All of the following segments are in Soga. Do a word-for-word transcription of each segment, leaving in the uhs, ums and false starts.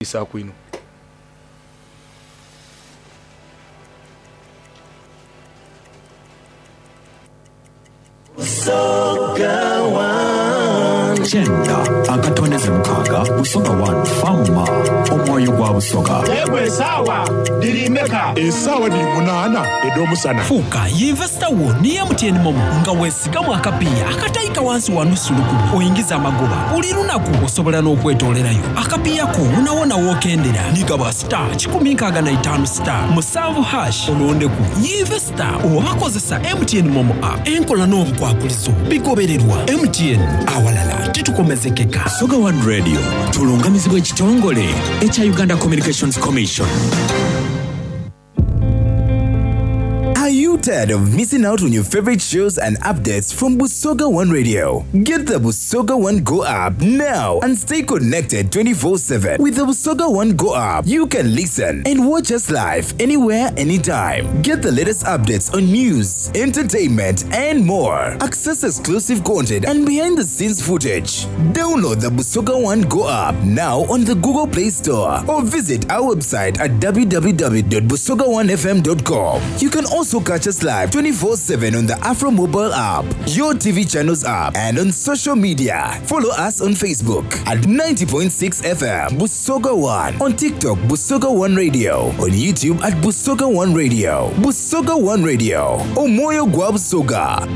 Isaaku inho. Kyenda akatondeze mukaaga Busoga One Fama omwoyo gwa Busoga. Yegwe esaawa dhiri meka? Esaawa dhiri munaana edh'omusana. Fuuka yinvesita wo ni M T N MoMo nga weesigamu akapiiya akataika wansi wa nusu lukumi oyingiza amagoba buli lunaku osobola n'okwetoolerayo akapiiya ko wonawona w'okendera nigaba star kikumi nkaaga na itaanu star musanvu hash olondeku yinvesita oba kozesa M T N MoMo app enkola n'obukwakulizo bigobererwa M T N awalala titukomezekeka. Busoga One Radio tulungamizibwa ekitongole ekya Uganda Communications Commission. Are you tired of missing out on your favorite shows and updates from Busoga One Radio? Get the Busoga One Go app now and stay connected twenty-four seven. With the Busoga One Go app, you can listen and watch us live anywhere, anytime. Get the latest updates on news, entertainment, and more. Access exclusive content and behind-the-scenes footage. Download the Busoga One Go app now on the Google Play Store or visit our website at w w w dot busoga one f m dot com. You can also catch us live twenty-four seven on the Afro mobile app, your T V channels app, and on social media. Follow us on Facebook at ninety point six F M Busoga One, on TikTok Busoga One Radio, on YouTube at Busoga One Radio. Busoga One Radio, Omoyo gwa Busoga.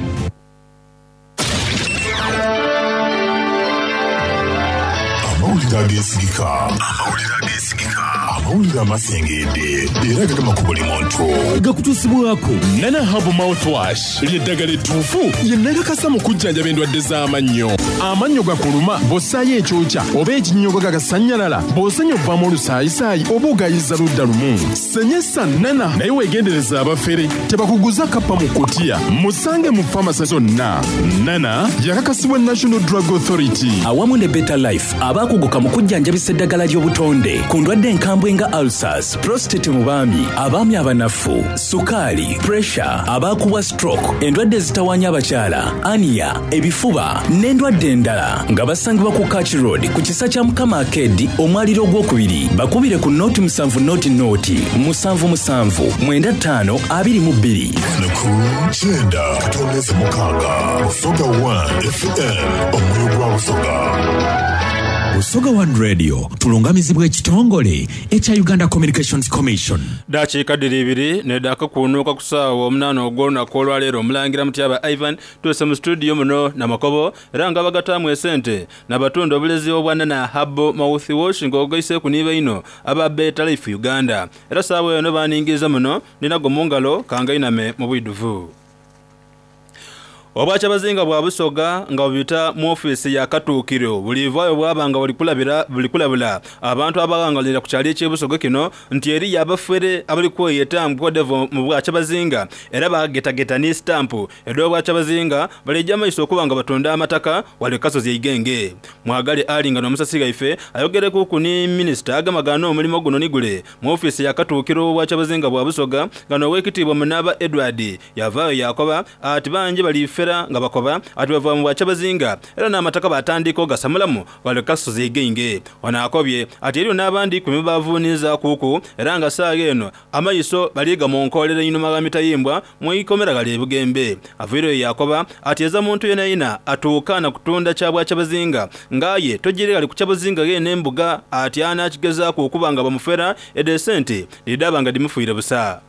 Amawulire ageesigika. Amawulire ageesigika. Amawulire amasengedde era gagema ku buli muntu. Gakutuusibwako Nana Herbal Mouthwash ly'eddagala ettuufu lye nakakasa mu kujjanjaba endwadde z'amannyo. Amannyo gakuluma bw'ossaayo ekyokya oba ekinnyogo gagasannyalala, bw'osenya ovaamu olusaayisaayi oba ogayiza ludda lumu. Senyesa Nana naye weegendereza abafere tebakuguza kappa mu kutiya. Musange mu famasi zonna. Nana yakakasibwa National Drug Authority. Awamu ne Better Life abaakuguka mu kujjanjabisa eddagala ly'obutonde ku ndwadde enkambwe nga ulcers, prostate mu baami, abaami abanafu, sukaali, pressure, abaakubwa stroke, endwadde ezitawaanya abakyala, ania, ebifuba n'endwadde endala nga basangibwa ku Kach Road ku kisa kya Mukama Arcade omwaliro ogwokubiri. Bakubire ku noti musanvu noti noti musanvu musanvu mwenda ttaano abiri mu bbiri. Ku kyenda katondeze mukaaga Busoga One F M omwoyo gwa Busoga. Busoga One Radio tulungamizibwa ekitongole ekya Uganda Communications Commission. Dakiika ddiri ibiri neddaaka kunuuka ku ssaawa omunaana ogw'olunaku olwaleero omulangira Mutyaba Ivan tuuse mu studio muno Namakobo era nga bagataamu esente n'abatunda obulezi obwa Nana Herbal Mouthwash ng'ogaise ku niiba ino aba Better Life Uganda. Era ssaawa eno baaningiriza muno ninago mu ngalo kangainame mu bwidduvu. Obwakyabazinga bwa Busoga nga bubita mu ofiisi ya Katuukiro bulivaayo bwabanga buli kulabula abantu abawangalira ku kyalo eky'Ebusoga kino nti eri abafere abali kweyeta mukwadevo mu bwakyabazinga era bagetageta ne stampu ed'obwakyabazinga balijja maiso okuba nga batunda amataka wali kasozi eigenge. Mwagali ali nga n'omusasi gaife ayogereku ku ni minisita agamagana omulimu guno nigule mu ofiisi ya Katuukiro obwakyabazinga bwa Busoga nga n'owekitiibwa Munaaba Edward yavaayo yakoba ati bangi balife nga bakoba ati bava mu bwakyabazinga era n'amataka batandika ogasamulamu wali kasozi eigenge. Ono akobye ati eriyo n'abandi ku mibavuuniza kuuku era nga ssaawa eno amaiso baliga mu nkoolera einhuma ga mitayimbwa mu ikomera gali ebugembe. Aviireyo yakoba ati eza muntu yena yina atuuka na kutunda kya bwakyabazinga ng'aye tojire gali ku kyabazinga ge n'embuga ati anakigezaaku okuba nga bamufera edesente lidaba nga dimufuire busa.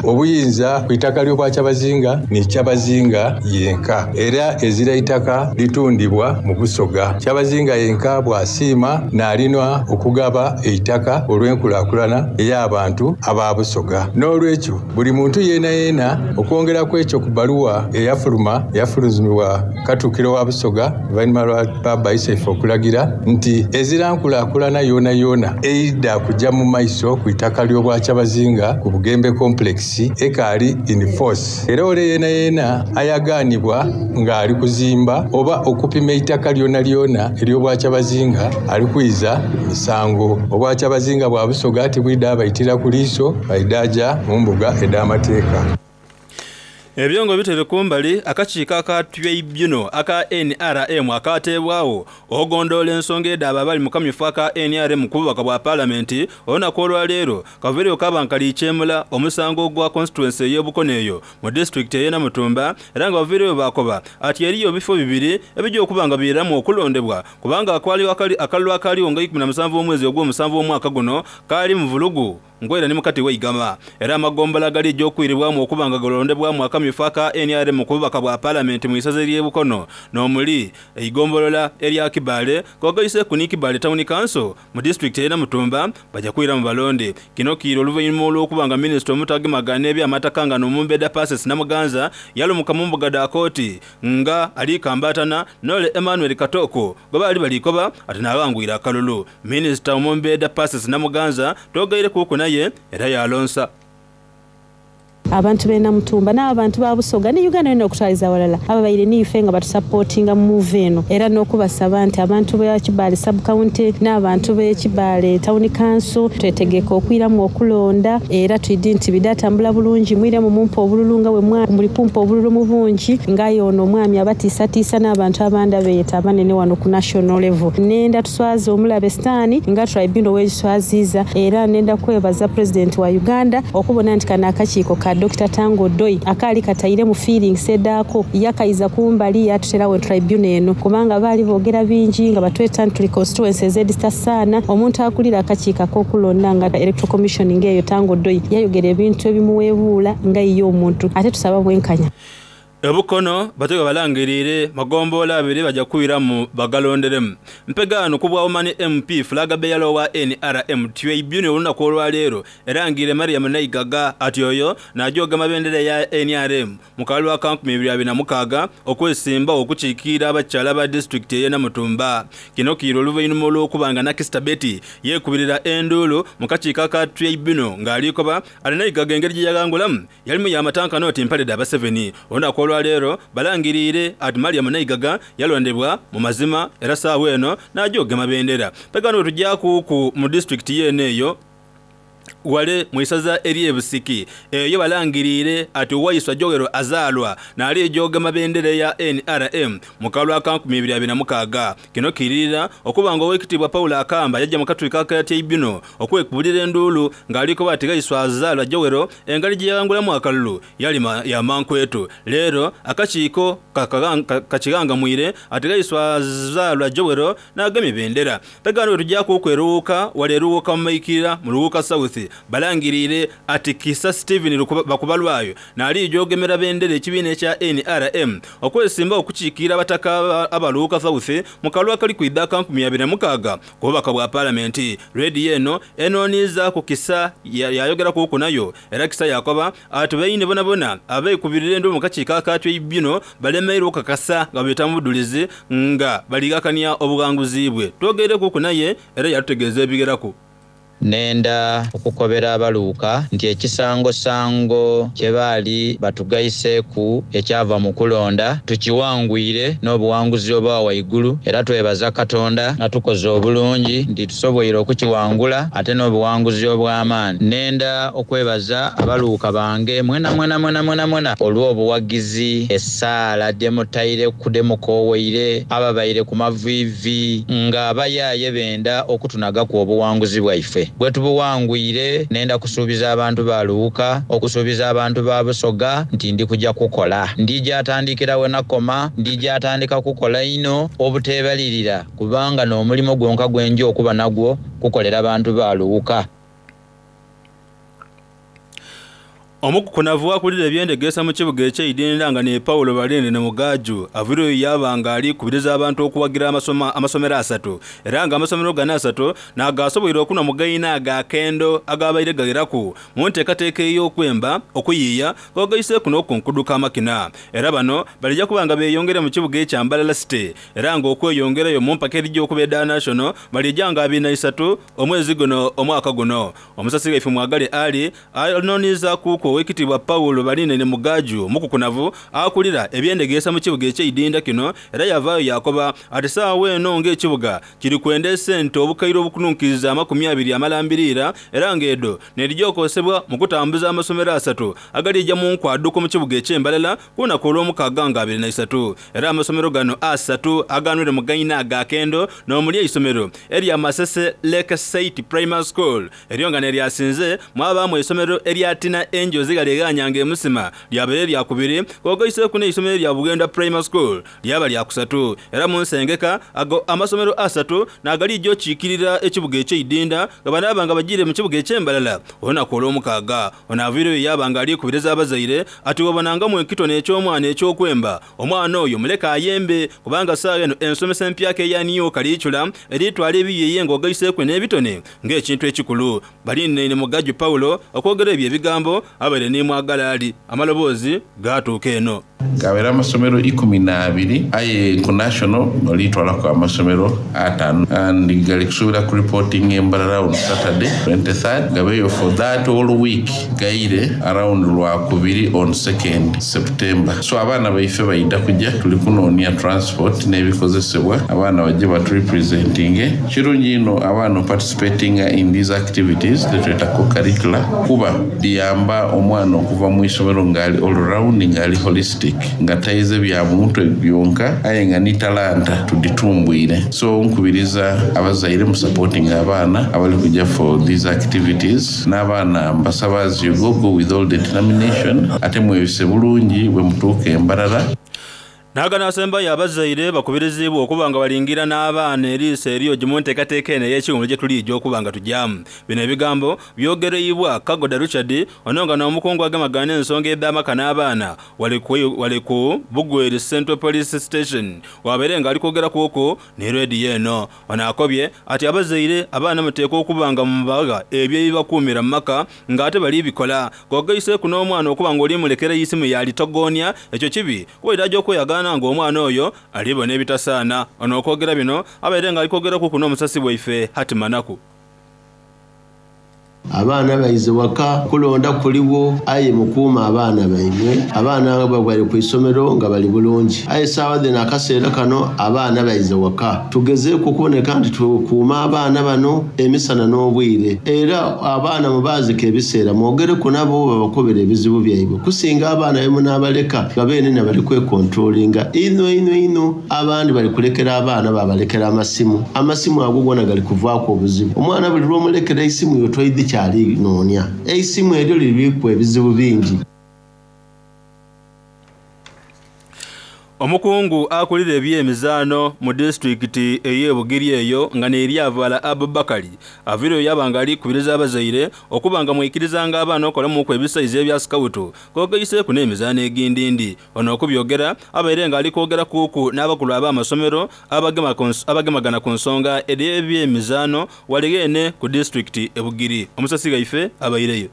Obuyinza ku itaka ly'obwakyabazinga ni kyabazinga yenka era ezira itaka litundibwa mu Busoga. Kyabazinga yenka bw'asiima n'alinwa okugaba eitaka olw'enkulaakulana ey'abantu aba Busoga. N'olwekyo buli muntu yeena yeena okwongera ku ekyo ku bbaluwa eyafuluma eyafulumizibwa Katuukiro wa Busoga oluvannyuma lwa Baba Isaife okulagira nti ezira nkulaakulana yoona yoona eidda kujja mu maiso ku itaka ly'obwakyabazinga ku Bugembe Complex ekaali in force. Era ole yeena yeena ayagaanibwa ng'ali kuzimba oba okupima eitaka lyona lyona ery'obwakyabazinga ali kwiza misango. Obwakyabazinga bwa Busoga tibwidde abaitira ku liiso baidaaja mu mbuga ed'amateeka. Ebyongo bitere kumbali akakiiko aka tribunal aka N R M akateebwawo ogondoola ensonga edda abali mu kamyufu aka N R M ku bubaka bwa paalamenti olunaku olwaleero kaviireyo kabankali ikyemula omusango gwa constituency ey'Obukono eyo mu disitulikiti ey'e Namutumba era nga baviireyo baakoba ati eriyo ebifo bibiri ebijja okuba nga biyiramu okulondebwa kubanga akwaliwo akalulu akaliwo nga ikumi na musanvu omwezi ogw'omusanvu omwaka guno kaali mu vulugu ngwera ni mukati weigama era amagombola gali gy'okwiribwamu okuba nga galondebwamu akamyufu aka N R M ku bubaka bwa paalamenti mu isaza ery'e Bukono n'omuli eigombolola erya Kibaale kogaise ku ni Kibaale Town Council mu disitulikiti ey'e Namutumba bajja kwiramu balonde. Kino kiira oluvannyuma olw'okuba nga minisita omutagemagana eby'amataka nga n'omumbedda Persis Namuganza yalumuka mu mbuga dha kooti nga alikambatana n'ole Emmanuel Katoko gwe baali balikoba ate n'awangwira akalulu. Minisita omumbedda Persis Namuganza togaire kuku naye era yalonsa abantu b'e Namutumba n'abantu ba Busoga ne Uganda yonna okutwaliza walala ababaire niife nga batusapootinga mu move eno era n'okubasaba nti abantu b'e Kibaale sub county n'abantu b'e Kibaale town council twetegeka okwiramu okulonda era twidi nti bidatambula bulungi mwiremu mumpa obululu nga bwe muli kumpa obululu mu bungi nga yono omwami abatiisatiisa n'abantu abandi abeeyeta abanene wano ku national level. Nenda tuswaze omulabe sitaani nga tribunal wegiswaziza era nenda kwebaza president wa Uganda okubona nti kano akakiiko ka Doctor Tango Doi akaali kataire mu feelings edaako yakaiza kumbali yatuterawo tribunal eno kubanga baali boogera bingi nga batweta tuli constituencies editasaana omuntu akulira akakiiko ak'okulonda nga electoral commission ng'eyo Tango Doi yayogera ebintu ebimuweebuula nga ye omuntu ate tusaba bwenkanya. Obukono batega balangirire magombola abiri bajja kwiramu bagalonderemu. Mpegaano ku bwa Omani M P flag bearer wa N R M tribunal olunaku olwaleero erangire Mariam Naigaga ati oyo n'ajooga mabendera ya N R M mu kalulu aka nkumi ibiri abiri na mukaaga okwesimba okukiikirira abakyala ba disitulikiti ey'e Namutumba. Kino kiira oluvannyuma olw'okuba nga Nakista Betty yeekubirira enduulu mu kakiiko aka tribunal ng'alikoba ati Naigaga engeri gye yagangulamu yalimu yamatankano oti mpalidde Abaseveni. Olunaku olwaleero balangirire ati Mariam Naigaga yalondebwa mu mazima era saawa eno n'ajooga mabendera. Pegano tujja kuku mu disitulikiti yeeno eyo wale mu isaza ery'e Busiki eyo balangirire ati Waiswa Joel azaalwa n'ali ejooga mabendera ya N R M mu kalulu aka nkumi ibiri abiri na mukaaga. Kino kiririra okuba nga owekitiibwa Paul Akamba yajja mu katulika aka tribunal okwekubulira enduulu ng'aliko ati Waiswa azaalwa Joel engeri gye yawangulamu akalulu yali ya mankwetu. Leero akakiiko kakigangamwire ati Waiswa azaalwa Joel n'agemye bendera. Pegano tujja kukweruuka wale eruuka mu Maikirira mu Luuka South balangirire ati Kisa Steven Bakubalwayo n'ali jogemera bendera ekibiina ekya N R M okwesimba okukiikirira abataka abaluuka South mu kalulu akali kwidda aka nkumi abiri na mukaaga ku bubaka bwa paalamenti. Rediyo eno enooniza ku Kisa yayogera kuku nayo era Kisa yakoba ati beine bonabona abeekubirira enduulu mu kakiiko aka tribunal balemeire okukakasa nga biyita mu budulizi nga baligakanya obuwanguzi bwe. Twogere kuku naye era yatutegeeza ebigeraku. Nenda okukobera abaluuka nti ekisangosango kye baali batugaiseeku ekyava mu kulonda tukiwangwire n'obuwanguzi obwa waigulu era twebaza Katonda nga tukoze obulungi nti tusoboire okukiwangula ate n'obuwanguzi obw'amaani. Nenda okwebaza abaluuka bange mwena mwena mwena mwena mwena olw'obuwagizi essaala gye mutaire kudemukooweire ababaire ku maviivi nga abayaaye benda okutunagaku obuwanguzi bwaife. Bwe tubuwangwire nenda kusuubiza abantu ba Luuka okusuubiza abantu ba Busoga nti ndi kujja kukola ndijja atandikira we nakoma ndijja atandika kukola ino obuteebalirira kubanga n'omulimu gwonka gwenja okuba nagwo kukolera abantu ba Luuka. Omukukunavu akulira ebyendegesa mu kibuga eky'eidinda nga ne Paulo Balende ne Mugaju avireyo yabanga ali kubiriza abantu okuwagira amasoma amasomero asatu era nga amasomero gano asatu n'agasoboire okunwa mugaina agakendo agabaire gageraku mu nteekateeka ey'okwemba okuyiiya kogaise kuno okunkuduka amakina era bano balijja kuba nga beeyongera mu kibuga ekya Mbarara City era nga okweyongerayo mu mpaka erijja okubeera national balijja nga abiri na isatu omwezi guno omwaka guno. Omusasi waife Mwagale Ali anooniza ku kuliku owekitiibwa Paulo Balinene Mugaju omukukunavu akulira ebyendegeesa mu kibuga eky'eidinda kino era yavaayo yakoba ati saawa eno ng'ekibuga kiri kwenda esente obukaire obukununkiriza amakumi abiri amalambiriira era ng'edo nerijja okosebwa mu kutambuza amasomero asatu agalijja mu nkwaduko mu kibuga eky'embalala ku lunaku olw'omukaaga nga abiri na isatu era amasomero gano asatu aganwire mu gaina agakendo n'omuli eisomero erya Masese Lake Site Primary School eryo nga neryasinze mwabaamu eisomero erya Tina Angels galeghanyanga emusima lyabere lyakubiri kogoiseku n'eisomero lya Bugenda Primary School lyaba lyakusatu era mu nsengeka ago amasomero asatu nagalijja okiikirira ekibuga eky'eidinda nga banaabanga bagire mu kibuga eky'embalala olunaku olw'omukaaga ono aviireyo yabanga alikubiriza abazaire ati wabonangamu ekitone eky'omwana eky'okwemba omwana oyo muleka ayembe kubanga saawa eno ensomesa empyaka eya niyo kaliicula eritwala ebiyeye ng'ogaiseku n'ebitone ng'ekintu ekikulu Balinene Mugaju Paulo okwogera ebyo ebigambo abaire nimwagala ali amaloboozi gatuuka eno gabera amasomero ikumi na abiri aye ku national olitwalako amasomero ataano and gali kusuubira ku reporting embalala on Saturday twenty-third gabeyo for that whole week gaire around lwakubiri on second September. So abaana baife baida kujja tuli kunoonia transport n'ebikozesebwa abaana bajje baturepresentinge kirungi ino abaana participating in these activities tetweta co-curricular kuba liyamba omwana okuva mu isomero ng'ali all round ng'ali holistic nga tayize bya mutwe byonka aye nga ni talanta tuditumbwire. So nkubiriza abazaire mu supporting abaana abali kujja for these activities n'abaana mbasaba as you go, go with all determination ate mwebise bulungi bwe mutuuka embalala. Naga asembayo abazaire bakubirizibwa okuba nga balingira n'abaana eriiso eriyo gimu nteekateeka eno ey'ekiwummulo gye tulijja okuba nga tujyamu. Bino ebigambo byogereibwa Kagoda Richard ono nga n'omukungu agemagana ensonga edh'amaka n'abaana wali ku Bugweri Central Police Station wabeere nga ali kwogeraku okwo ne rediyo eno. Ono akobye ati abazaire abaana muteekwa okuba nga mubagha ebyo ebibakuumira mu maka ng'ate bali bikola kogaiseeku n'omwana okuba nga olimulekera isimu yalitogonya ekyo kibi kuba erajja okweyagaana ng'omwana oyo alibona ebitasaana. Ono okwogera bino abaire nga alikwogeraku kuno omusasi bwaife Hatimanaku. Abaana baize waka kulonda kuliwo aye mukuuma abaana baimwe abaana nga bali ku isomero nga bali bulungi aye saawa dhino akaseera kano abaana baize waka tugezeeku okuboneka nti tukuuma abaana bano emisana n'obwire era abaana mubaazika ebiseera mwogereku nabo babakobera ebizibu byaibwe kusinga abaana be munaabaleka nga beene bali kwekontrolinga ino ino ino abandi bali kulekera abaana babalekera amasimu amasimu ago gona gali kuvaaku obuzibu omwana buli lw'omulekera esimu yotoidi kyali noonya eisimu eryo liriku ebizibu bingi. Omukungu akulira ebyemizaano mu disitulikiti ey'e Bugiri eyo nga n'eryavala Abubakari aviireyo yabanga alikubiriza abazaire okuba nga mwikirizanga abaana okolamuku ebisaizi ebya sikawutu kogaiseeku n'emizaano egindindi. Ono okubyogera abaire nga alikwogera kuku n'abakulu ab'amasomero abagemagana ku nsonga edh'ebyemizaano walighene ku disitulikiti e Bugiri. Omusasi gaife abaireyo.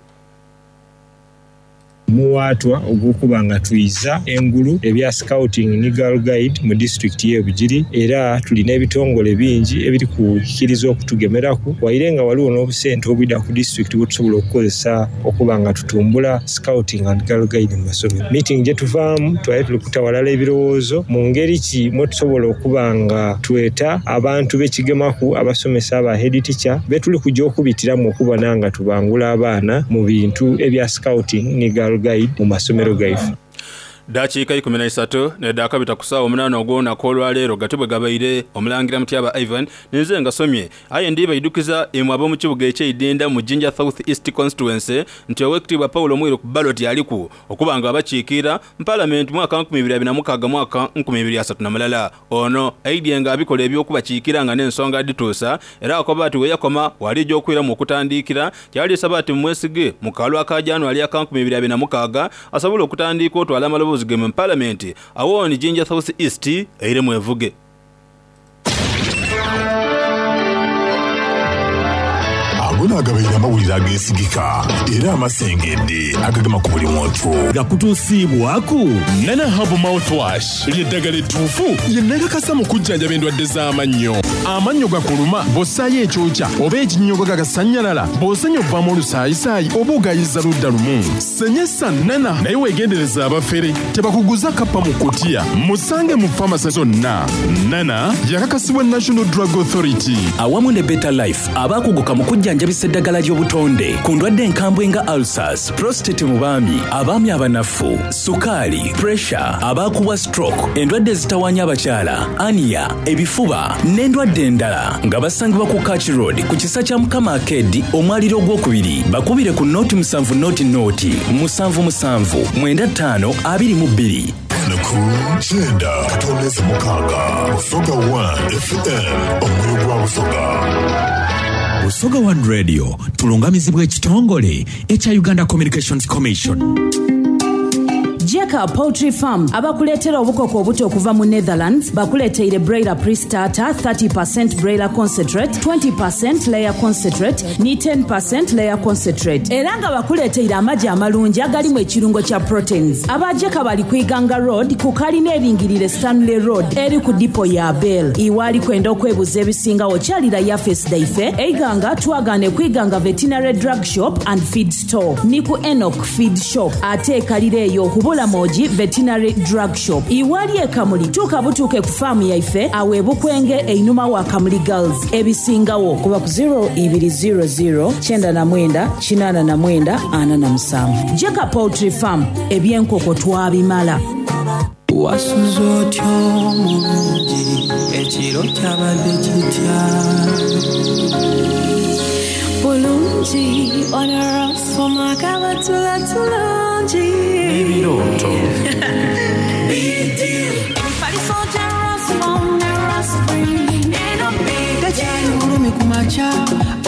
Muwaatwa ogw'okuba nga twiza engulu ebya scouting ni girl guide mu disitulikiti y'e Bugiri era tulina ebitongole bingi ebiri kukkiriza okutugemeraku waire nga waliwo n'obusente obwida ku disitulikiti bwe tusobola okukozesa okuba nga tutumbula scouting and girl guide mu masomero. Meeting gye tuvaamu twali tuli kutawalala ebirowoozo mu ngeri ki mwe tusobola okuba nga tweta abantu b'ekigemaku abasomesa aba head teacher be tuli kujja okubitiramu okubona nga tubangula abaana mu bintu ebya scouting ni girl guide mu masomero gaife. Dakiika ikumi na isatu nedakabita ku ssaawa omunaana ogw'olunaku olwaleero gatibwe gabaire omulangira Mutyaba Ivan ninze nga somye aye ndibaiddukiza imwe ab'omu kibuga eky'eidinda mu Jinja South East Constituency nti owekitiibwa Paulo Mwiru ku ballot aliku okuba nga abakiikira mu paalamenti mwaka nkumi ibiri abiri na mukaaga mwaka nkumi ibiri asatu na mulala. Ono aidye nga abikola eby'okubakiikira nga n'ensonga dhituusa era akoba ati weyakoma walijja okwiramu okutandikira kyalisaba ati mumwesige mu kalwa aka January aka nkumi ibiri abiri na mukaaga asobole okutandika otwala amaloboozi ge mu paalamenti awoni Jinja South East eiremu evuge. Ago naagabaire amawulire ageesigika era amasengedde agagema ku buli muntu. Gakutuusiibwaku Nana Herbal Mouthwash, ly'eddagala ettuufu lye nakakasa mu kujjanjaba endwadde z'amannyo. Amannyo gakuluma bw'ossaayo ekyokya oba ekinnyogo gagasannyalala, bw'osenya ovaamu olusaayisaayi oba ogayiza ludda lumu. Senyesa Nana, naye weegendereza abafere tebakuguza kappa mu kutiya. Musange mu famasi zonna. Nana yakakasibwa National Drug Authority. Awamu ne Better Life, abakuguka mu kujjanjabisa eddagala ly'obutonde ku ndwadde enkambwe nga ulcers, prostate mu baami, abaami abanafu, sukaali, pressure, abaakubwa stroke, endwadde ezitawaanya abakyala, ania, ebifuba n'endwadde endala, nga basangibwa ku Kach Road ku kisa kya Mukama Arcade, omwaliro ogwokubiri. Bakubire ku nooti musanvu nooti nooti musanvu musanvu mwenda ttaano abiri mu bbiri. Ku kyenda katondeze mukaaga, Busoga one F M, omwoyo gwa Busoga. Busoga One Radio tulungamizibwa ekitongole ekya Uganda Communications Commission. Jeka Poultry Farm abakuleetera obukoko obuto okuva mu Netherlands bakuleeteire broiler pre-starter, thirty percent broiler concentrate, twenty percent layer concentrate ni ten percent layer concentrate, era nga bakuleeteire amagi amalungi agalimu ekirungo kya proteins. Aba Jeka bali ku Iganga Road ku kalina eringirire Stanley Road eri ku dipo ya Bell. Iwali kwenda okwebuza ebisingawo kyalira yafesi daife Eiganga twagane ku Iganga Veterinary Drug Shop and Feed Store ni ku Enoch Feed Shop, ate ekalira eyo kubula Moji Veterinary Drug Shop. Iwali ekamuli tuuka butuuke ku faamu yaife awe Bukwenge einuma wa Kamuli Girls. Ebisingawo kuba ku zero ibiri zero zero kyenda na mwenda kinaana na mwenda ana na musanvu. Jeka Poultry Farm, ebyenkoko twabimala. Wasuze otyo mulungi, ekiro kyabadde kitya? Bulungi, onarasoma kabatula tulungi. Ebirooto. Emifaliso gya Rasmom ne Raspring eno big. Tekyali bulumi ku makya,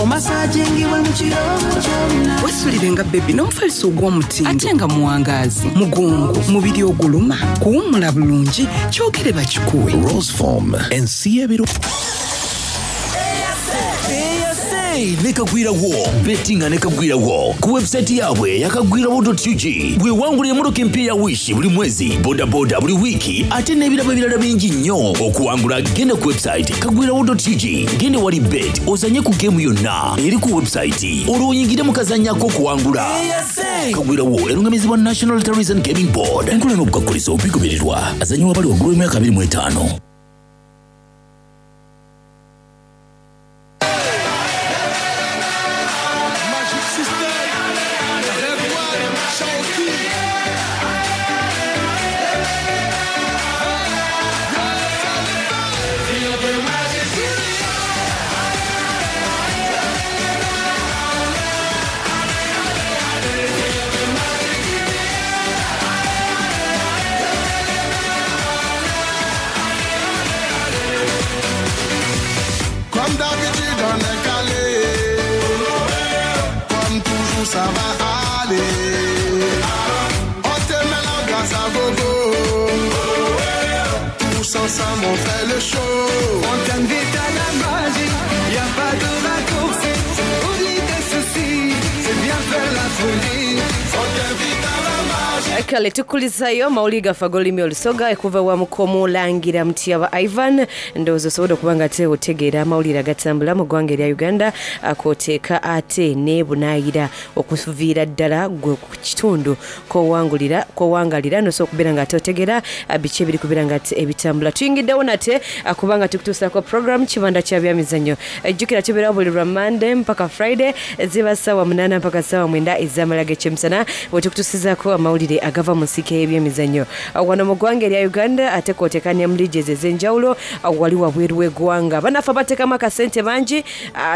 omasajingibwe mu kiro kyonna. Wesulire nga bebi n'omufaliso ogw'omutindo ate nga muwangaazi, mugongo, mubiri oguluma, kuwummula bulungi, kyogere bakikuwe. Roseform, ensi y'ebiro. Nekagwirawo bettinga nekagwirawo ku website yaabwe yakagwirawo dot U G. Bwewangulira emmotoka empya ya Wish buli mwezi, bodaboda buli wiiki, ate n'ebirabo ebirala bingi nnyo. Okuwangula genda ku website kagwirawo dot U G, genda wali bet ozanye ku geemu yonna eri ku website, olwo oyingire mu kazannyo ak'okuwangula. Kagwirawo erungamizibwa National Lotteries and Gaming Board. Enkola n'obukwakkulizo bigobererwa. Azannyibwa abali waggulu w'emyaka abiri mu etaano. Ensemble on fait le show. On t'invite à la magie, y a pas de raccourci. Oublie tes soucis, c'est bien faire la folie. On t'invite à la magie. Kale tukulizayo mawulire gaffe ag'olulimi olusoga ekuva wa Mukomulangira Mutyaba Ivan. Ndowooza osobola okuba nga ate otegeera amawulire agatambula mu ggwanga erya Uganda akoteeka ate n'ebunaayira okuviira ddala gwe ku kitundu k'owangulira, k'owangalira n'osobola okubeera nga ate otegeera biki ebiri kubeera nga ate ebitambula. Tuyingiddewo nate kubanga tukutuusaako program Kibanda kya Byamizannyo. Ejjukira tubeerawo buli lwa Monday mpaka Friday ziba ssaawa munaana mpaka ssaawa mwenda ez'amala g'ekyemisana bwe tukutuusizaako amawulire agava mu nsike y'ebyemizannyo wano mu ggwanga erya Uganda ate kwoteeka ne mu liigi ez'enjawulo wali wabweru w'eggwanga. Bannaffe abateekamu akasente bangi,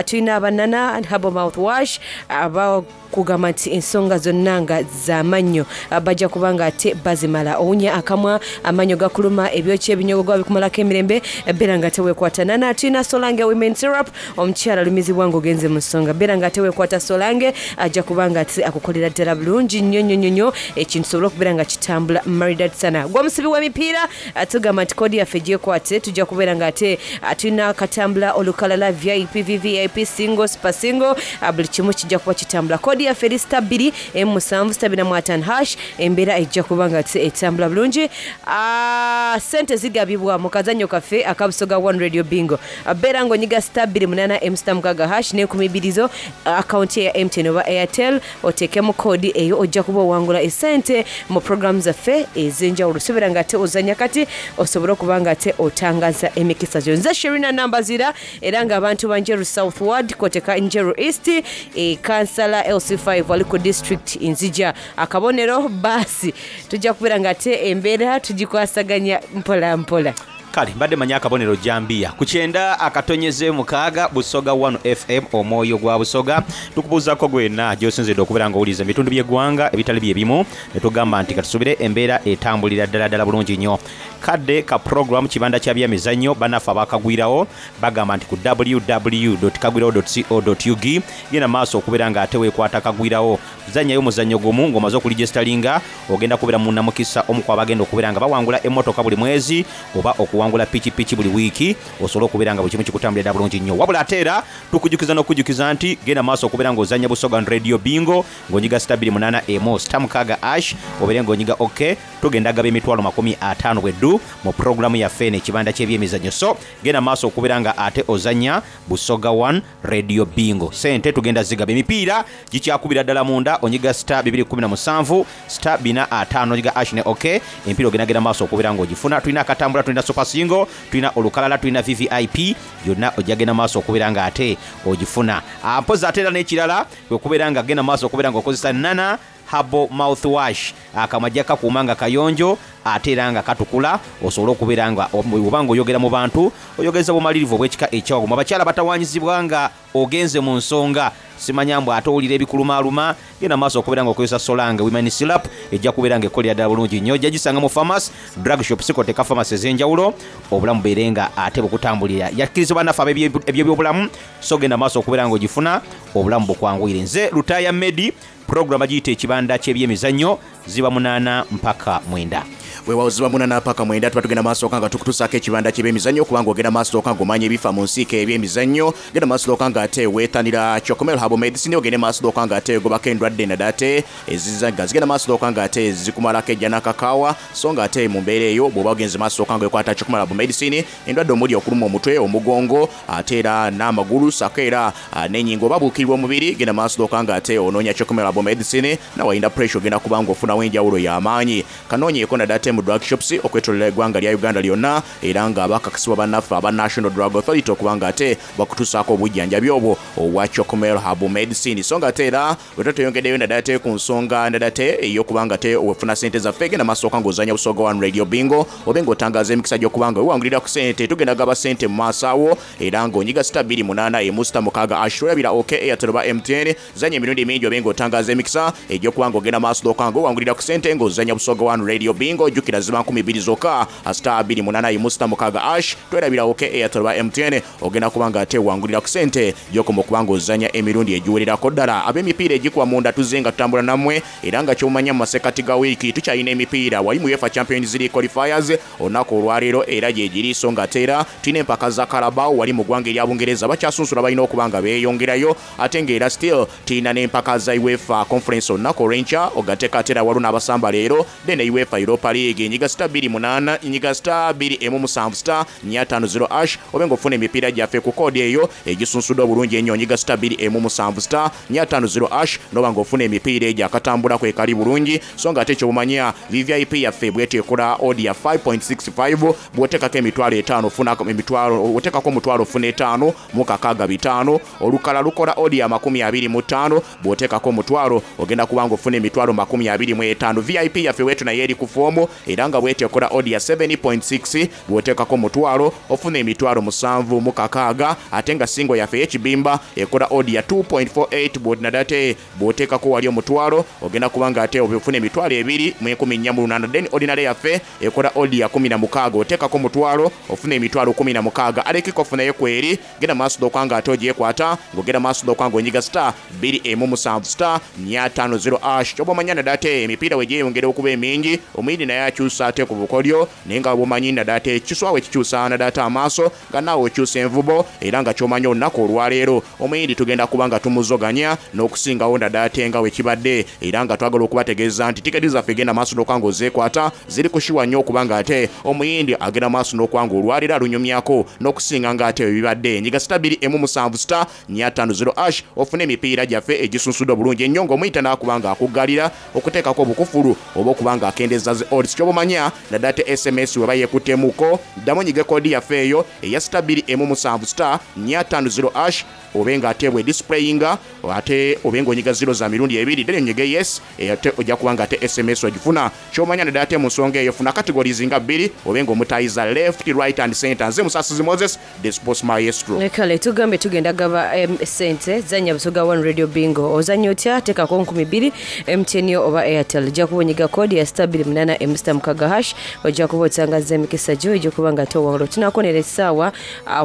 tulina abanana Herbal Mouthwash abakugamba nti ensonga zonna nga z'amannyo bajja kuba nga ate bazimala. Owunya akamwa, amannyo gakuluma, ebyokya ebinyogogo bikumalako emirembe, beera nga teweekwata. Nana tulina Solange Women Syrup, omukyala alumizibwa ng'ogenze mu nsonga, beera nga teweekwata Solange, ajja kuba nga ate akukolera ddala bulungi nnyo nnyo nnyo nnyo ekintu sobola okubeera nga kitambula maridadi sana. Gwe omusibi w'emipiira, ah, tugamba nti kodi yaffe gyekwate, tujja kubeera nga ate ah, tulina akatambula olukalala V I P, V V I P, single, super single, ah, buli kimu kijja kuba kitambula. Kodi yaffe eri star bbiri emu musanvu star bina mu ataano hash. Embeera ejja kuba nga ate etambula bulungi. Ah, sente zigabibwa mu kazannyo kaffe akabusoga One Radio Bingo. Ah, beera ng'onyiga star bbiri munaana emu star mukaaga hash n'enkumi bbiri zo akawunti ya M T N oba Airtel, oteekemu koodi eyo, ojja kuba owangula esente mu programu zaffe ez'enjawulo. Sobeera nga ate ozanya kati osobole okuba nga ate otangaza emikisa gyo. Nze Sherina Nambazira, era ng'abantu ba Njeru South Ward koteka Njeru East, e, kansala L C five wali ku district nzija akabonero. Baasi tujja kubeera nga ate embeera tugikwasaganya mpola mpola. Kale mbadde manyi akabonero jambiya ku kyenda akatonyeze mukaaga, Busoga one F M, omwoyo gwa Busoga. Tukubuuzako gwena gyosinzidde okubeera nga owuliriza ebitundu by'eggwanga ebitali byebimu, ne tugamba nti katusubire embeera etambulira ddala ddala bulungi nnyo. Kadde ka program Kibanda kya Byemizannyo. Bannaffe abakagwirawo bagamba nti ku W W W kagwirawo co ug genda maaso okubeera nga ate weekwata kagwirawo, zanyayo omuzannyo gumu ng'omaze okuregisteringa, ogenda kubeera munnamukisa omu ku abagenda okubeera nga bawangula emmotoka buli mwezi oba okuwangula pikipiki buli wiiki, osobole okubeera nga buli kimu kikutambulira bulungi nnyo. Wabula ate era tukujjukiza n'okujjukiza nti genda maaso okubeera ng'ozannya Busoga Radio Bingo ng'onyiga star bbiri munaana emu star mukaaga hash, obeere ng'onyiga OK. Tugenda gaba emitwalo makumi ataano bweddu mu puroguramu yaffe eno Ekibanda ky'Ebyemizannyo. So genda maaso okubeera nga ate ozannya Busoga one Radio Bingo, sente tugenda zigaba. Emipiira gikyakubira ddala munda, onyiga star bbiri kkumi na musanvu star bbiri ataano, onyiga hash ne OK, emipiira ogendagenda maaso okubeera ng'ogifuna. Tulina akatambula, tulina super single, tulina olukalala, tulina V V I P, yonna ojja genda maaso okubeera nga ate ogifuna. Ah, mpozi ate era n'ekirala kwe kubeera nga genda maaso okubeera ng'okozesa Nana Herbal Mouthwash. Akamwa kakuuma nga kayonjo ate era nga katukula, osobole okubeera nga oba nga oyogera mu bantu oyogeza bumalirivu obw'ekika ekyawagumu. Abakyala batawanyizibwa nga ogenze mu nsonga, simanya mbu ate owulira ebikulumaaluma, genda maaso okubeera nga okozesa Solange Women Syrup, ejja kubeera nga ekolera ddala bulungi nnyo. Ojja gisanga mu pharmacy, drug shop, sikoteka pharmacy ez'enjawulo, obulamu beere nga ate bukutambulira. Yakkirizibwa naffe ab'ebyobulamu, so genda maaso okubeera nga ogifuna, obulamu bukwanguyire. Nze Lutaya Medi, puroguramu agiyita Ekibanda ky'Ebyemizannyo, ziba munaana mpaka mwenda. Weewaawo, ziba munaana paka mwenda, tuba tugenda maaso nga tukutuusaako Ekibanda ky'Ebyemizannyo, kubanga ogenda maaso nga omanya ebifa mu nsiike ebyemizannyo. Genda maaso nga ate weetanira Chocomel Herbal Medicine, ogende maaso nga ate ogobako endwadde naddala ate eziza nga zigenda maaso nga ate zikumalako ejja n'akakaawa. So nga ate mu mbeera eyo bw'oba ogenze maaso nga wekwata Chocomel Herbal Medicine, endwadde omuli okuluma omutwe, omugongo, ate era n'amagulu, sako era ah, n'ennyingo oba buukirwa omubiri, genda maaso nga ate onoonya Chocomel Herbal Medicine. Nawayinda pressure, ogenda kuba nga ofunawo enjawulo y'amaanyi. Kanoonyeeko naddala ate mu drug shops okwetolera eggwanga lya Uganda lyonna, era nga bakakasibwa bannaffe aba National Drug Authority okuba nga ate bakutuusaako obujjanjabi obwo obwa Chocomel Herbal Medicine. So nga ate era bwe tweyongeddeyo naddala ate ku nsonga naddala ate ey'okuba nga ate wefuna sente zaffe, genda maaso nga ozanya Busoga One Radio Bingo, obe ng'otangaaza emikisa gy'okuba nga wewangulira ku sente. Tugenda gaba sente mu maaso awo, era ng'onyiga star bbiri munaana emu star mukaaga hash, olabira OK, Airtel oba M T N. Zanya emirundi mingi obe ng'otangaaza emikisa egy'okuba nga ogenda maaso nga owangulira ku sente ng'ozanya Busoga One Radio Bingo. Jjukira ziba nkumi bbiri zokka, star bbiri munaana emu star mukaaga hash, twerabira OK, Airtel oba M T N, ogenda kuba nga ate wangulira ku sente gy'okoma okuba ng'ozanya emirundi egiwererako ddala. Ab'emipiira egikuba munda tuzze nga tutambula nammwe, era nga kyomanya mu masekati ga wiiki tukyalina emipiira wali mu UEFA Champions League qualifiers olunaku olwaleero era gyegiri. So nga ate era tulina empaka za Carabao wali mu ggwanga erya Bungereza, bakyasunsula balina okuba nga beeyongerayo, ate ng'era still tulina n'empaka za UEFA Conference olunaku olw'enkya, ogateeka ate era waliwo n'abasamba leero. Then UEFA Europa League, nyiga star bbiri munaana, nyiga star bbiri emu musanvu star nnya ttaano zero hash, obe ng'ofuna emipiira gyaffe ku koodi eyo egisunsuddwa obulungi ennyo. Nyiga star bbiri emu musanvu star nnya ttaano zero hash noba ng'ofuna emipiira egyo akatambula kwekali bulungi. So nga ate kyobumanya V V I P yaffe bweteekola odd ya five point six five, bw'oteekako emitwalo etaano ofuna emitwalo, oteekako omutwalo ofuna etaano mu kakaaga bitaano. Olukala lukola odd ya makumi abiri mu ttaano, bw'oteekako omutwalo ogenda kuba ng'ofuna emitwalo makumi abiri mu etaano. V I P yaffe wetu naye eri ku foomu. musanvu era nga bwetyo ekola odi ya seven point six bw'oteekako mutwalo ofuna emitwalo musanvu mu kakaaga ate nga singo yaffe ey'ekibimba ekola odi ya two point four eight bw'otinadate bw'oteekako wali omutwalo ogenda kuba nga ate ofuna emitwalo ebiri mu enkumi nnya mu lunaana. Then ordinary yaffe ekola odi ya kumi na mukaaga oteekako mutwalo ofuna emitwalo kumi na mukaaga. Alekiko ofunayo kweri genda maaso d'okuba nga ate ogyekwata ng'ogenda maaso d'okuba nga onyiga star bbiri emu musanvu star nnya ttaano zero ash. Kyoba omanya nadate emipiira we gyeyongera okuba emingi omuyindi naye akyusa ate ku bukodyo naye nga bw'omanyi nadate kiswawe ekikyusa nadate amaaso nga naawe okyusa envubo era nga ky'omanyi olunaku olwaleero omuyindi tugenda kuba nga tumuzoganya n'okusingawo nadate nga we kibadde era nga twagala okubategeeza nti tiketi zaffe genda maaso n'okuba nga ozeekwata ziri kushiwa nnyo okuba nga ate omuyindi agenda maaso n'okuba nga olwaleero alunyumyako n'okusinga nga ate bwe bibadde. Nyiga star bbiri emu musanvu star nnya ttaano zero ash ofune emipiira gyaffe egisunsudde obulungi ennyo ng'omuyita n'akuba nga akuggalira okuteekako obukufulu oba okuba nga akendeeza zi odds. Ky'oba omanya naddala S M S weba yeekuttemuko ddamu onyige koodi yaffe eyo eya star bbiri emu musanvu star nnya ttaano zero ash obe nga ate bwe displayinga ate obe ng'onyiga zero za mirundi ebiri then onyige yes ate ojja kuba nga ate S M S ogifuna. Ky'omanya naddala ate mu nsonga eyo funa categories nga bbiri obe ng'omutayiza left, right and center. Nze Musasizi Moses, the sports maestro. Kale tugambe tugenda gaba sente zanya Busoga One Radio Bingo. Ozannya otya? Teekako nkumi bbiri M T N oba Airtel. Ojja kuba onyiga kodi ya star bbiri munaana M star mukaaga hash ojja kuba otangaza emikisa gyo ojja kuba nga towangula. Tunaakonera essaawa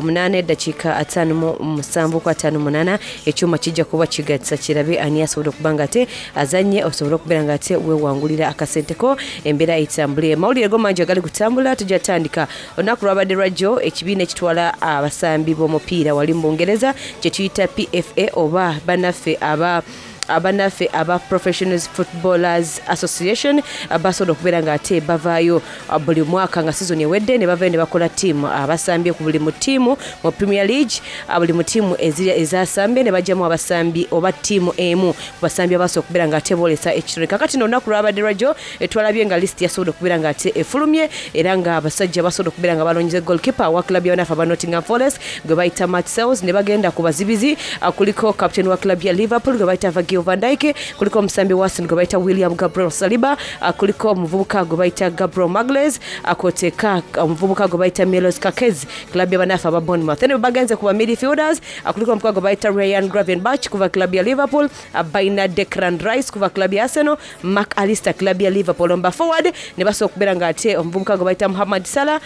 munaana eddakiika ataano mu musanvu ku ataano munaana ekyuma kijja kuba kigatsa kirabe ani asobola okuba nga ate azannye osobole okubeera nga ate weewangulira akasente ko embeera etambule. Amawulire go mangi agali kutambula tujja tandika olunaku lwabadde lwajjo ekibiina ekitwala abasambi b'omupiira wali mu Bungereza kye tuyita P F A oba bannaffe aba abanaffe aba Professionals Footballers Association basobola okubeera nga ate bavaayo buli mwaka nga season ewedde ne bavaayo ne bakola ttiimu abasambye ku buli mu ttiimu mu Premier League buli mu ttiimu ezasambye ne bajjamu abasambi oba ttiimu emu ku basambi abasobola okubeera nga ate boolesa ekitone. Kakati nno olunaku lwabadde lwajjo twalabye nga list yasobola okubeera nga ate efulumye era nga abasajja basobola okubeera nga balonze goalkeeper wa club y'abanafu aba Nottingham Forest gwe bayita Matt Sales ne bagenda ku bazibizi kuliko captain wa club ya Liverpool gwe bayita Virgil van Dijk, kuliko omusambi wa Arsenal gwe bayita William Gabriel Saliba, kuliko omuvubuka gwe bayita Gabriel Magalhaes, akoteeka omuvubuka gwe bayita Milos Kerkez club y'abanafu aba Bournemouth. Then bagenze ku ba midfielders, kuliko omuvubuka gwe bayita Ryan Gravenberch kuva club ya Liverpool, bayina Declan Rice kuva club ya Arsenal, Mark Alister club ya Liverpool. Omba forward ne basobola okubeera nga ate omuvubuka gwe bayita Mohamed Salah,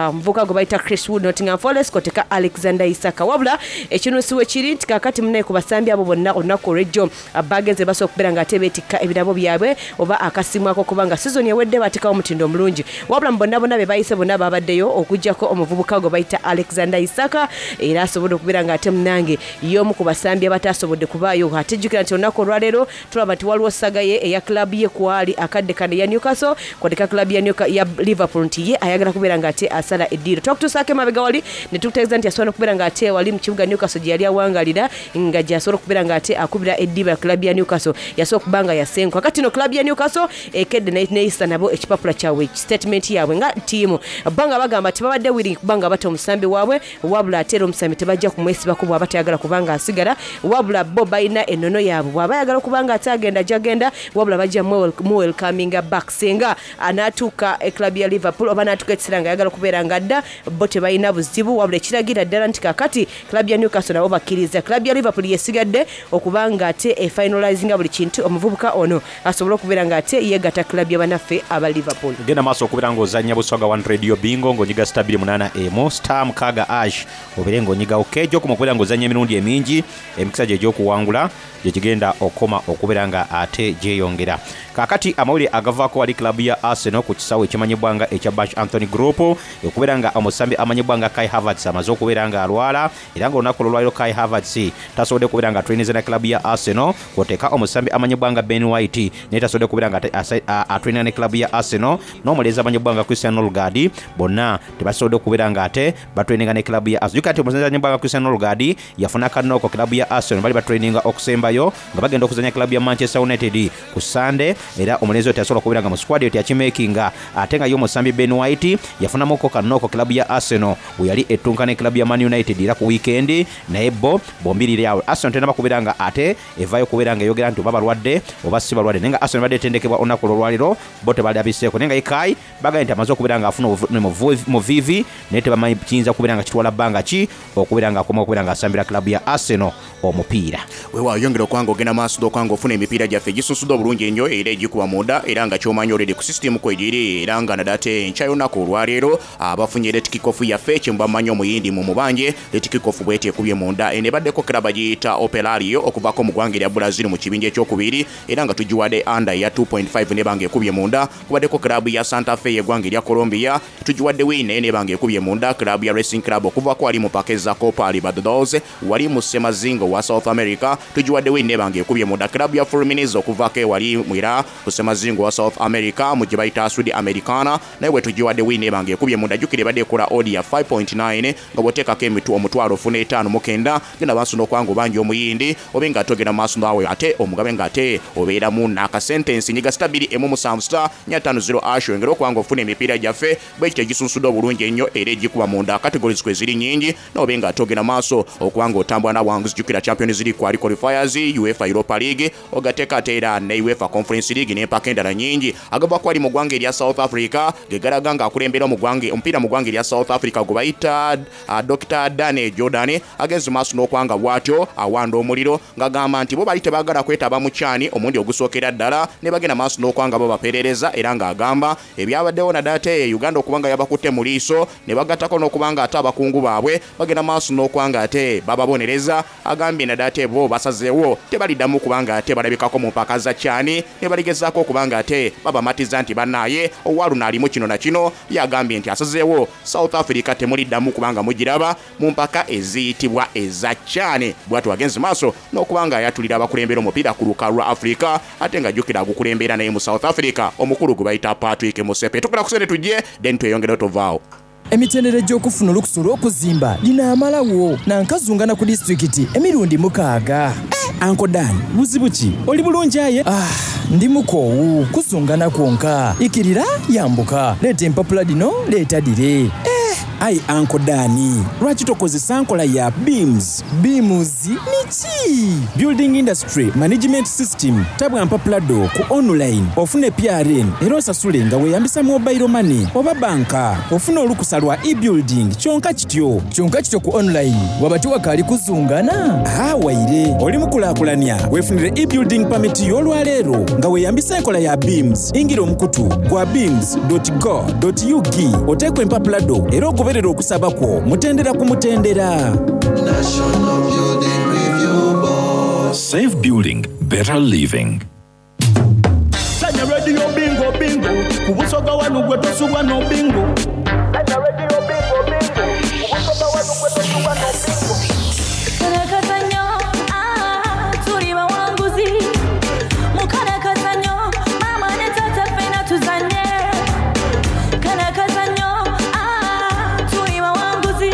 omuvubuka gwe bayita Chris Wood Nottingham Forest, koteeka Alexander Isak. Wabula ekinuusi we kiri nti kaakati munnaye ku basambi abo bonna olunaku olw'ejjo bagenze basobola okubeera nga ate beetikka ebirabo byabwe oba akasimu ako kubanga season ewedde bateekawo omutindo omulungi. Wabula mu bonna bonna be bayise bonna babaddeyo okuggyako omuvubuka gwe bayita Alexander Isak era asobodde okubeera nga ate munnange y'omu ku basambi abataasobodde kubaayo. Ate jjukira nti olunaku olwaleero tulaba nti waliwo saga ye eya club ye kwali akadde kano eya Newcastle kwateka club ya Newcastle ya Liverpool nti ye ayagala kubeera nga ate asala eddiiro. Twakutuusaako emabega wali ne tukutegeeza nti asobola okubeera nga ate wali mu kibuga Newcastle gye yali awangalira nga gy'asobola okubeera nga ate akubira eddiba club ya Newcastle yasobola okuba nga yasenguka. Kati no club ya Newcastle ekedde neyisa nabo ekipapula kyabwe statement yaabwe nga ttiimu banga bagamba tebabadde willing kubanga bata omusambi waabwe wabula ate era omusambi tebajja kumwesibako bw'aba tayagala kubanga asigala wabula bo balina ennono yaabwe bw'aba ayagala kubanga ate agenda gy'agenda wabula bajja muwelcominga back singa anaatuuka club ya Liverpool oba anaatuuka ekiseera nga ayagala okubeera nga adda bo tebalina buzibu wabula ekiragira ddala nti kaakati club ya Newcastle nabo bakkiriza club ya Liverpool yesigadde okubanga ate efinalizinga buli kintu omuvubuka ono asobole okubeera nga ate yeegatta club y'abannaffe aba Liverpool. Genda maaso okubeera ng'ozannya Busoga One Radio Bingo ng'onyiga star bbiri munaana emu star mukaaga ash obeere ng'onyigawo kejo okuma okubeera ng'ozannya emirundi emingi emikisa gye egy'okuwangula gye gigenda okukoma okubeera nga ate gyeyongera. Kaakati amawulire agavaako wali club ya Arsenal ku kisaawe ekimanyibwa nga ekya Bash Anthony Group okubeera nga omusambi amanyibwa nga Kai Havertz amaze okubeera nga alwala era ng'olunaku olwaleero Kai Havertz tasobodde kubeera nga atrainiza na club ya Arsenal kwoteeka omusambi amanyibwa nga Ben White naye tasobodde kubeera nga atrainira ne club ya Arsenal n'omulenzi amanyibwa nga Christian Nørgaard bonna tebasobodde kubeera nga ate batraininga ne club ya Arsenal. Jjukira nti omulenzi amanyibwa nga Christian Nørgaard yafuna kanooko club ya Arsenal bali batraininga okusembayo nga bagenda okuzannya club ya Manchester United ku Sunday era omulenzi oyo teyasobola kubeera nga mu squad eyo teyakimakinga ate nga ye omusambi Ben White yafunamuko kanooko club ya Arsenal we yali ettunka ne club ya Man United era ku weekend naye bo bombirire awo Arsenal tenaba kubeera nga ate evaayo okubeera nga eyogera nti oba balwadde oba si balwadde. Naye nga Arsenal ebadde etendekebwa olunaku olwolwaleero, bo tebalabiseeko. Naye nga Ilkay bagambye nti amaze okubeera nga afuna obuvune mu viivi, naye tebamanyi kiyinza kubeera nga kitwala bbanga ki okubeera nga akoma okubeera nga asambira club ya Arsenal omupiira. Weewaawo, yongera okwanga ogenda maaso n'okwanga ofuna emipiira gyaffe egisunsudde obulungi ennyo era egikuba munda, era nga kyomanyi already ku system kwegiri, era nga nadate enkya y'olunaku olwaleero abafunye late kickoff yaffe kyemuba mumanyi omuyindi mu mubanje. Late kickoff bweti ekubye munda eno ebaddeko club giyita Operario okuvaako mu ggwanga erya Brazil mu kibinja ekyokubiri, era nga tugiwadde under ya two point five nebanga ekubye munda. Kubaddeko club ya Santa Fe y'eggwanga erya Colombia, tugiwadde win naye nebanga ekubye munda. Club ya Racing Club okuvaako wali mu paka eza Copa Libertadores wali mu Semazingo wa South America, tugiwadde win nebanga ekubye munda. Club ya Fluminense okuvaako ewali mwira ku Semazingo wa South America mu gye bayita Sud Americana, naye bwe tugiwadde win nebanga ekubye munda. Jjukira ebadde ekola odd ya five point nine nga bw'oteekako emitu omutwalo ofuna etaano mu kenda. Genda maaso n'okwanga obanja omuyindi obe nga ate ogenda maaso naawe ate omugabe nga ate obeeramu n'akasentensi. Nyiga star bbiri emu musanvu star nnya ttaano zero hash oyongere okuba nga ofuna emipiira gyaffe bwe kityo egisunsudde obulungi ennyo era egikuba munda. Categories kwe ziri nnyingi, n'obe nga ate ogenda maaso okuba nga otambula n'abawanguzi. Jjukira Champions League kwali qualifiers, UEFA Europa League ogateeka ate era ne UEFA Conference League n'empaka endala nnyingi. Agava kwali mu ggwanga erya South Africa ge galaga ng'akulembera mu ggwanga omupiira mu ggwanga erya South Africa gwe bayita uh, Doctor Danny Jordaan agenze maaso n'okwanga bw'atyo awanda omuliro ng'agamba nti bo bali tebaagala kwetaba mu CHAN omulundi ogusookera ddala ne bagenda maaso n'okwanga bo baperereza, era ng'agamba ebyabaddewo naddala ate Uganda okuba nga yabakutte mu liiso ne bagattako n'okuba nga ate abakungu baabwe bagenda maaso n'okwanga ate bababonereza. Agambye naddala ate bo basazeewo tebaliddamu kubanga ate balabikako mu mpaka za CHAN ne baligezaako okuba nga ate babamatiza nti bannaaye owaluno alimu kino na kino. Yagambye nti asazeewo South Africa temuliddamu kubanga mugiraba mu mpaka eziyitibwa eza CHAN. Bwatyo agenze maaso n'okuba nga ayatulira abakulembera omupiira ku lukalu lwa Africa, ate nga jjukira agukulembera naye mu South Africa omukulu gwe bayita Patrick Motsepe. Tukula kusente tujje then tweyongere tovaawo. Emitendera egy'okufuna olukusa olw'okuzimba linaamalawo nankazungana ku disitulikiti emirundi mukaaga. Uncle Dan, buzibu ki? Oli bulungi aye? Ah, ndi mukoowu kuzungana kwonka, ikirira yambuka, leeta empapula dino, leeta dire eh. Ayi Uncle Dan, lwaki tokozesa nkola ya BIMS? BIMS niki? Building Industry Management System. Tabwa mpapula do ku online ofune P R N era osasule nga weeyambisa mobile money oba banka, ofune olukusa lwa e-building kyonka kityo. Kyonka kityo ku online waba tiwakaali kuzungana? Ah, waire oli mukulaakulanya weefunire e-building permit y'olwaleero nga weeyambisa enkola ya BIMS. Ingira omukutu gwa bims dot go dot U G oteekwa empapula do era ogoberera okusaba kwo mutendera ku mutendera. National Building Review Board. Safe building, better living. Sanya Radio Bingo Bingo ku Busoga wanu gwe tosubwa no bingo. Sanya Radio Bingo Bingo ku Busoga wanu gwe tosubwa no bingo. Karakazanyo, ah, tuli bawanguzi. Mukarakazanyo, mama ne tata ffena tuzanye. Karakazanyo, ah, tuli bawanguzi.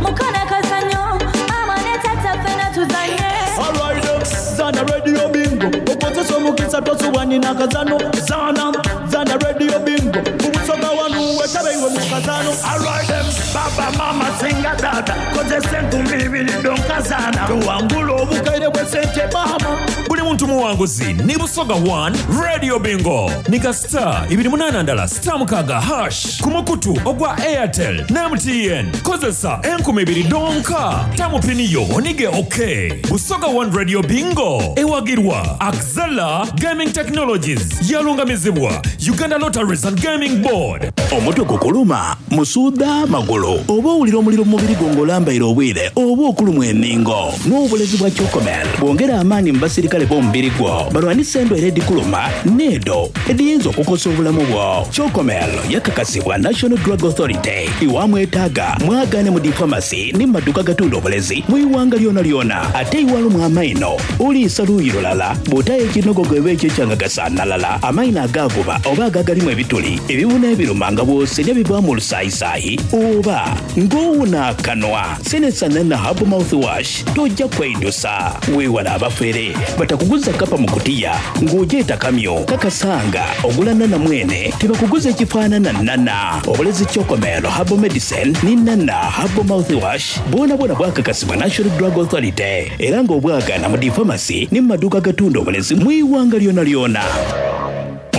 Mukarakazanyo, mama ne tata ffena tuzanye. Alright, zana Radio Bingo okozesa omukisa tosubwa nina kazano. Zana zana Radio Bingo ku Busoga wanu wetabe iwe mu kazano. Alright, baba mama singa data kozesa enkumi ibiri donkazana tuwangula obukaire bw'esente mama. Buli muntu muwanguzi ni Busoga one Radio Bingo. Nika star ibiri munana ndala star mukaga hash ku mukutu ogwa Airtel ne M T N. Kozesa enkumi ibiri donka tamupiniyo onige. OK, Busoga one Radio Bingo ewagirwa Axela Gaming Technologies, yalungamizibwa Uganda Lotteries and Gaming Board. Omutwe gukuluma, musuuda, magulu, oba owulira omuliro mu mubiri gwo ng'olambaire obwire oba okulumwa enningo, n'obulezi bwa Chocomel bwongera amaanyi mu basirikale b'omubiri gwo balwanisa endwaire edikuluma n'edo ediyinza okukosa obulamu bwo. Chocomel yakakasibwa National Drug Authority. Iwamwetaaga mwagane mu difamasi ne mu maduuka gatunda obulezi mu iwanga lyona lyona. Ate iwalumwa amaino, oliisa luuyi lulala, bw'otayo ekinogogo eba ekyo ekyangagasanalala, amaino agaavuba oba agagalimu ebituli, ebibuna ebiruma nga bw'osenya bivaamu olusaayisaayi oba ng'owuna akanwa, senesanana Herbal Mouthwash tojja kweidusa. Weewala abafere batakuguza kapa mu kutiya ng'ogyeta kamyo. Kakasanga ogula nana mwene tebakuguza ekifaanana nana. Obulezi Chocomel Herbal Medicine ni Nana Herbal Mouthwash bwona bwona bwakakasibwa National Drug Authority era ng'obwagana mu difamasi ne mu maduuka agatunda obulezi mu iwanga lyona lyona.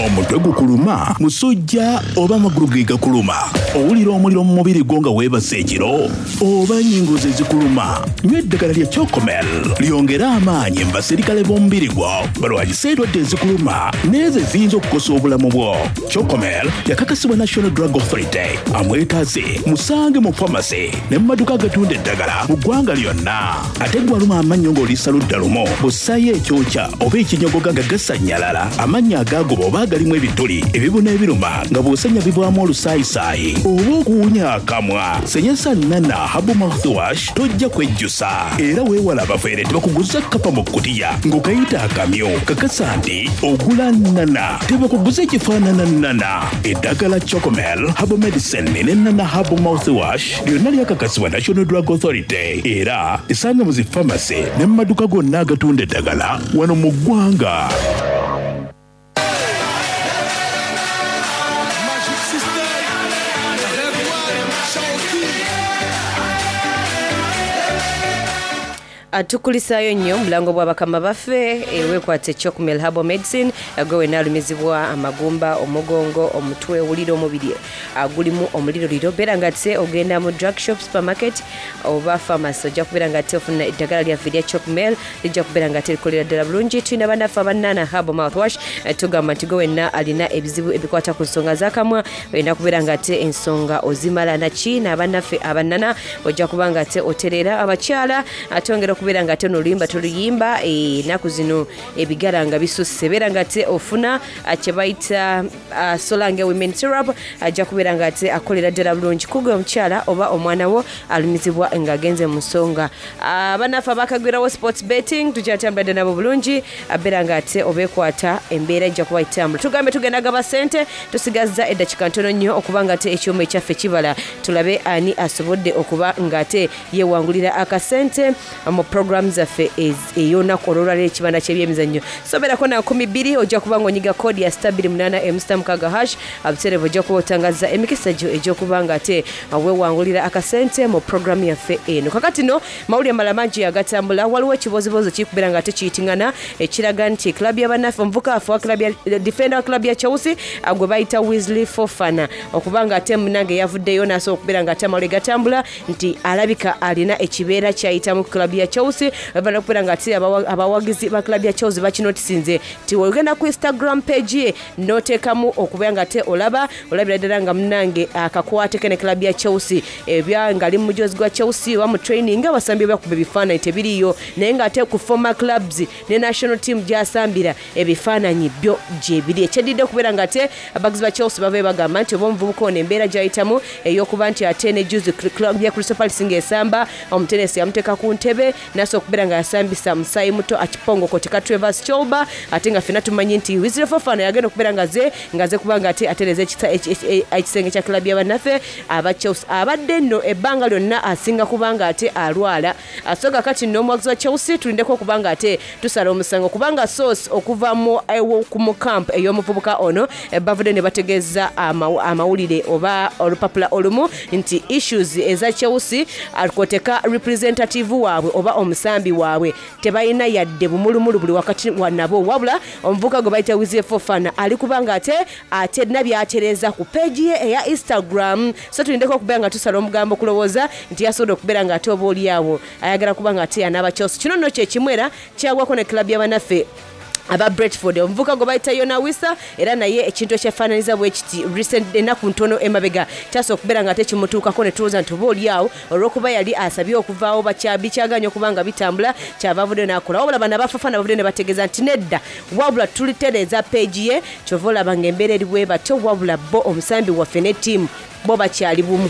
Omutwe gukuluma, musujja oba amagulu ge gakuluma, owulira omuliro mu mubiri gwo nga weebase ekiro oba ennyingo ze zikuluma, nywa eddagala lya Chocomel lyongere amaanyi mu baserikale b'omubiri gwo balwanyise endwadde ezikuluma n'ezo eziyinza okukosa obulamu bwo. Chocomel yakakasibwa National Drug Authority. Amwetaaze musange mu famasi ne mu maduuka agatunda eddagala mu ggwanga lyonna. Ate gwe aluma amannyo ng'oliisa ludda lumu, bw'ossaayo ekyokya oba ekinyogoga nga gasannyalala, amannyo agaagoba oba agalimu ebituli, ebibuna ebiruma nga bw'osenya bivaamu olusaayisaayi oba okuwunya akamwa, senyesa Nana Herbal Mouthwash tojja kwejjusa. Era weewala abafeere tebakuguza kkapa mu kkutiya ng'okayita akamyu. Kakasa nti ogula Nana tebakuguza ekifaanana Nana. Eddagala Chocomel Herbal Medicine ne Nana Herbal Mouthwash lyonna lyakakasibwa National Drug Authority era esanga mu zi famasi ne mu maduuka gonna agatunda eddagala wano mu ggwanga. Magic System, Red One, Shaoki. Tukulisaayo nnyo omulango bwa bakama baffe eweekwata Chocomel Herbal Medicine. Gwe wenna alumizibwa amagumba, omugongo, omutwe, owulira omubiri gulimu omuliroliro, beera nga te ogenda mu drug shop, supermarket oba pharmacy, ojja kubeera nga te ofuna eddagala lyaffe erya Chocomel, lijja kubeera nga te likolera ddala bulungi. Tulina bannaffe abanana Herbal Mouthwash, tugamba nti gwe wenna alina ebizibu ebikwata ku nsonga z'akamwa, olina kubeera nga te ensonga ozimala naki n'abannaffe abannana, ojja kuba nga te otereera. Abakyala atongera okubeera nga ate noluyimba toluyimba ennaku zino ebigala nga bisusse, beera nga ate ofuna kye bayita Solange Women Syrup, ajja kubeera nga ate akolera ddala bulungi kugwe omukyala oba omwana wo alumizibwa ng'agenze mu nsonga. Abannaffe abakagwirawo sports betting tukyatambadde nabo bulungi, abeera nga ate obeekwata embeera ejja kuba itambula. Tugambe tugenda gaba ssente, tusigazza eddakiika ntono nnyo okuba nga ate ekyuma ekyaffe kibala, tulabe ani asobodde okuba nga ate yeewangulira akasente mu programu zaffe ey'olunaku olwolwaliro ekibanda ky'ebyemizannyo. Soberako na nkumi bbiri ojja kuba ng'onyiga koodi ya star bbiri munaana emu star mukaaga hash, abutereevu ojja kuba otangaza emikisa gyo egy'okuba nga ate weewangulira akasente mu programu yaffe eno. Kakati no mawulire malala mangi agatambula, waliwo ekibozibozi kikubeera nga ate kiyitingana ekiraga nti club y'abannaffe omuvuka waffe wa club ya defender wa club ya Chelsea gwe bayita Wesley Fofana okuba nga ate munange yavuddeyo n'asobola okubeera nga ate amawulire gatambula nti alabika alina ekibeera kyayitamu ku club ya Chelsea, oluvannyuma okubeera nga ate abawagizi ba club ya Chelsea bakinotisinze nti ogenda ku Instagram page ye n'oteekamu okubeera nga ate olaba olabira ddala nga munange akakwate ke ne club ya Chelsea, ebya nga ali mu mujozi gwa Chelsea oba mu training abasambi bakuba ebifaananyi tebiriiyo, naye ng'ate ku former clubs ne national team gy'asambira ebifaananyi byo gye biri. Ekyeddiridde okubeera nga ate abagizi ba Chelsea bavayo bagamba nti oba omuvubuka ono embeera gy'ayitamu ey'okuba nti ate ne juzi club ya Crystal Palace ng'esamba omutenesi yamuteeka ku ntebe n'asobola okubeera nga yasambisa musaayi muto akipongoko teka Trevor Chalobah, ate nga ffenna tumanyi nti Wesley Fofana yagenda okubeera nga ze nga ze kubanga ate atereeza ekisenge kya club y'abannaffe aba Chelsea. Abadde nno ebbanga lyonna asinga kubanga ate alwala, so kakati nno omuwagizi wa Chelsea tulindeko okubanga ate tusala omusango kubanga source okuva mu mu camp ey'omuvubuka ono bavudde ne bategeeza amawulire oba olupapula olumu nti issues eza Chelsea akoteka representative waabwe oba omusambi waabwe tebalina yadde bumulumulu buli wakati wa nabo, wabula omuvubuka gwe bayita Wesley Fofana ali kubanga ate ate nabyatereza ku page ye eya Instagram. So tulindeko okubeera nga tusala omugambo okulowooza nti yasobodde okubeera nga ate oba oli awo ayagala kubanga ate anaaba Chelsea. Kino nno kye kimu era kyagwako ne club y'abannaffe aba Brentford, omuvubuka gwe bayita Yona Wissa era naye ekintu ekyefaananyiza bwe kiti recent ennaku ntono emabega kyasobola okubeera nga ate kimutuukako ne tulowooza nti oba oli awo olw'okuba yali asabye okuvaawo bikyaganye okuba nga bitambula kyava avuddeyo n'akola. Wabula bano aba Fofana bavuddeyo ne bategeeza nti nedda, wabula tulitereeza peegi ye, kyova olaba ng'embeera eri bwe batyo, wabula bo omusambi waffe ne ttiimu bo bakyali bumu.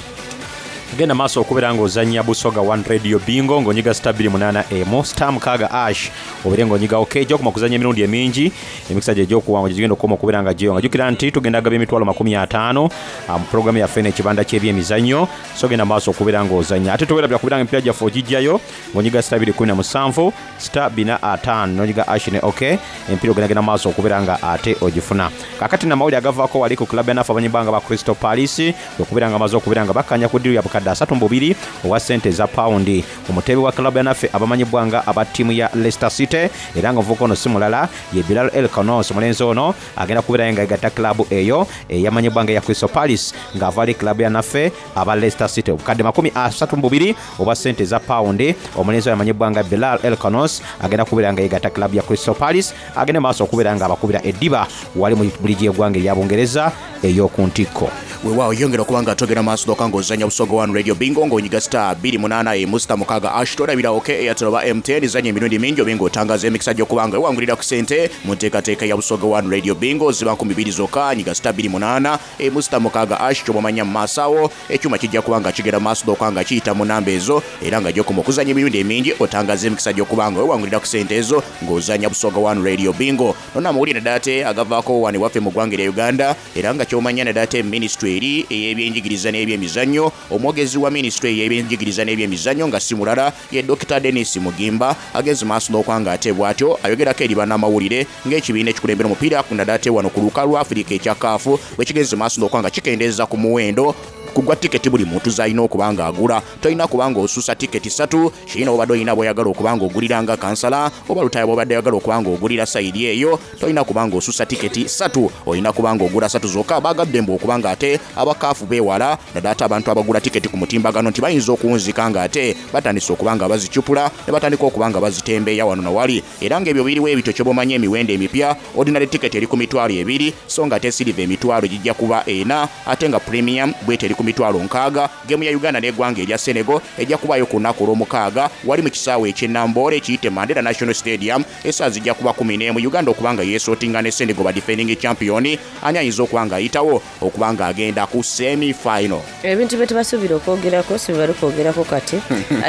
Genda maaso okubeera ng'ozannya Busoga One Radio Bingo ng'onyiga star bbiri munaana emu star mukaaga ash, obeere ng'onyigawo keja okuma okuzannya emirundi emingi, emikisa gye egy'okuwangula gye gigenda okukoma okubeera nga gyeyonga. Jjukira nti tugenda gaba emitwalo makumi ataano ah, mu pulogulaamu yaffe eno ekibanda ky'ebyemizannyo, so genda maaso okubeera ng'ozannya. Ate towerabira kubeera nga emipiira gyaffe ogijjayo ng'onyiga star bbiri kumi na musanvu star bina ataano n'onyiga ash ne ok, emipiira ogendagenda maaso okubeera nga ate ogifuna. Kaakati namawulire agavaako wali ku club yanaffe abanyibanga ba Crystal Palace okubeera nga bamaze okubeera nga bakkanya ku ddiru ya bukadde asatu mu bubiri owa ssente eza pawundi omuteebe wa club yanaffe abamanyibwa nga aba ttiimu ya Leicester City, era nga omuvubuka ono si mulala ye Bilal El Khannouss. Omulenzi ono agenda kubeerayo nga yegatta club eyo eyamanyibwa nga eya Crystal Palace ng'ava ali club yanaffe aba Leicester City. Obukadde makumi asatu mu bubiri obwa ssente eza pawundi, omulenzi oyo amanyibwa nga Bilal El Khannouss agenda kubeera nga yegatta club ya Crystal Palace, agende maaso okubeera nga abakubira eddiba wali mu liigi y'eggwanga erya Bungereza ey'oku ntikko. Weewaawo, yongera okuba nga togenda maaso doka ng'ozannya Busoga One Radio Bingo ng'onyiga star bbiri munaana emu star mukaaga ash. Tolabira ok Airtel oba M T N, zanya emirundi mingi obe ng'otangaza emikisa gy'okuba nga wewangulira ku sente mu nteekateeka ya Busoga One Radio Bingo. Ziba nkumi bbiri zokka. Nyiga star bbiri munaana emu star mukaaga ash. Ky'oba omanya mu maaso awo ekyuma kijja kuba nga kigenda maaso doka nga kiyita mu namba ezo, era nga gy'okoma okuzanya emirundi emingi otangaza emikisa gy'okuba nga wewangulira ku sente ezo ng'ozanya Busoga One Radio Bingo. Nonna amawulire naddala ate agavaako wano ewaffe mu ggwanga erya Uganda, era nga ky'omanya naddala ate minisitule eri ey'ebyenjigiriza n'ebyemizannyo, omwogezi wa minisitule ey'ebyenjigiriza n'ebyemizannyo nga si mulala ye Dokita Denis Mugimba, agenze maaso n'okuba nga ate bw'atyo ayogerako eri bannamawulire ng'ekibiina ekikulembera omupiira naddala ate wano ku lukalu lwa Afirika ekya CAF bwe kigenze maaso n'okuba nga kikendeeza ku muwendo kugwa tiketi buli muntu z'alina okuba nga agula. Tolina kuba nga osusa tiketi ssatu kirina obadde olina bw'oyagala okuba nga ogulira nga kansala oba Lutaya bw'obadde oyagala okuba nga ogulira side eyo, tolina kuba nga osusa tiketi ssatu, olina kuba nga ogula ssatu zokka. Bagadde mbu okuba nga ate aba CAF beewala naddala ate abantu abagula tiketi ku mutimbagano nti bayinza okuwunzika nga ate batandise okuba nga bazicupula ne batandika okuba nga bazitembeeya wano nawali. Era ng'ebyo biriwo ebityo kyobomanya emiwendo emipya, ordinary ticket eri ku mitwalo ebiri, so nga ate silver emitwalo gijja kuba ena, ate nga premium bwete eri ku mitwalo nkaaga. Game ya Uganda n'eggwanga erya Senegal ejja kubaayo ku lunaku olw'omukaaga wali mu kisaawe eky'enamboole ekiyite Mandela National Stadium, essaawa zijja kuba kumi n'emu. Uganda okuba nga yeesootinga ne Senegal, ba defending champion, ani ayinza okuba nga ayitawo okuba nga agenda ku semi final? Ebintu bye tebasuubira okwogerako si bye bali kwogerako kati.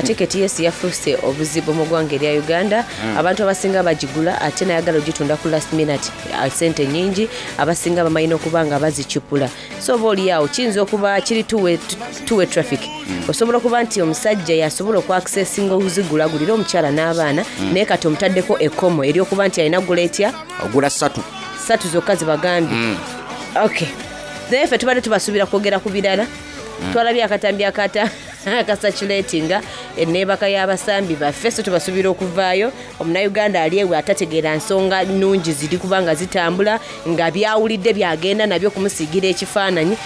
Tiketi yesi yafuuse obuzibu mu ggwanga erya Uganda. Mm. Abantu abasinga bagigula ate nayagala ogitunda ku last minute, ah, sente nyingi. Abasinga bamanyina okuba nga bazicupula, so oba oliawo kiyinza okuba kiri two-way two-way traffic. Osobola okuba nti omusajja yasobola okwaccessinga okuzigulagulira omukyala n'abaana, Mm. naye kati omutaddeko ekkomo eryokuba nti alina gula etya? Ogula ssatu. Ssatu zokka zibagambye. Mm. Okay, naye ffe tubadde tubasuubira kwogera ku birala. Mm. Twalabye akatambi akata akasaculatinga eneebaka y'abasambi baffe, so tubasuubira okuvaayo. Omunauganda ali ewe atategeera nsonga nnungi ziri kubanga zitambula nga byawulidde byagenda nabyo okumusiigira ekifaananyi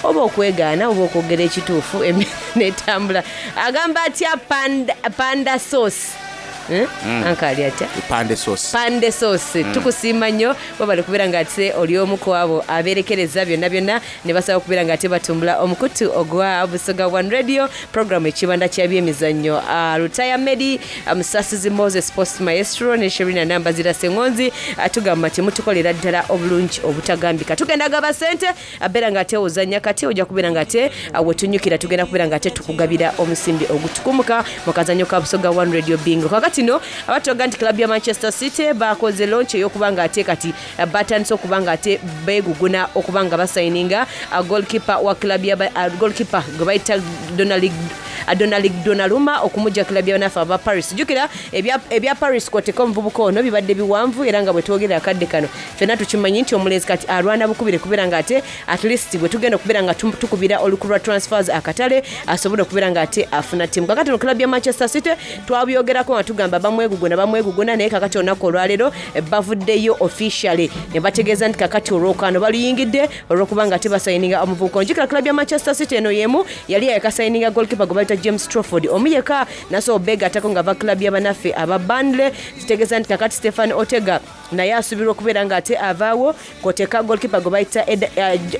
oba okwegaana oba okwogera ekituufu, embeera netambula. Agamba atya panda, panda sauce. Eh? Mm. Anka ali atya? Pande sauce. Pande sauce. Mm. Tukusiima nnyo, webale kubeera nga ate oli omu ku abo abeerekereza byonna byonna ne basaba okubeera nga ate batumbula omukutu ogwa Busoga One Radio, programu ekibanda kya byemizannyo. Ah, Lutaya Medi, ah, Musasizi Moses, Post Maestro ne Sherina Nambazira Sengonzi, ah, tugamba temutukolera ddala obulungi obutagambika. Tugenda gaba sente, abeera nga ate ozannya kati ojja kubeera nga ate ah, wetunyukira tugenda kubeera nga ate tukugabira omusimbi ogutukumuka mu kazannyo ka Busoga One Radio Bingo. Kakati no abatoga nti club ya Manchester City bakoze launch ey'okuba nga ate kati eh, batandise okuba nga ate beeguguna okuba nga basayininga ah, goalkeeper wa club ya ah, goalkeeper gwe bayita Donald Donald Donnarumma okumujja club ya naffe aba Paris. Jjukira ebya, ebya Paris kwoteka omuvubuka ono bibadde biwanvu, era nga bwe twogerera akadde kano ffenna tukimanyi nti omulenzi kati alwana bukubire kubeera nga ate at least bwe tugenda okubeera nga tum- tukubira oluku lwa transfers akatale asobole okubeera nga ate afuna ttiimu. Kakati no club ya Manchester City twabyogerako nga tugamba bamweguguna bamweguguna, naye kakati olunaku olwaleero eh, bavuddeyo officially ne bategeeza nti kakati olwokano baluyingidde olw'okuba nga tebasayininga omuvubuka ono. Jjukira club ya Manchester City eno yemu yali yakasayininga goalkeeper gwe bayita James Trafford, omu yekka nasobola obeegattako nga va club y'abanaffe aba Burnley. Kitegeeza nti kakati Stefan Ortega naye asuubirwa okubeera nga ate avaawo kwoteka goalkeeper gwe bayita Ed- eh, J-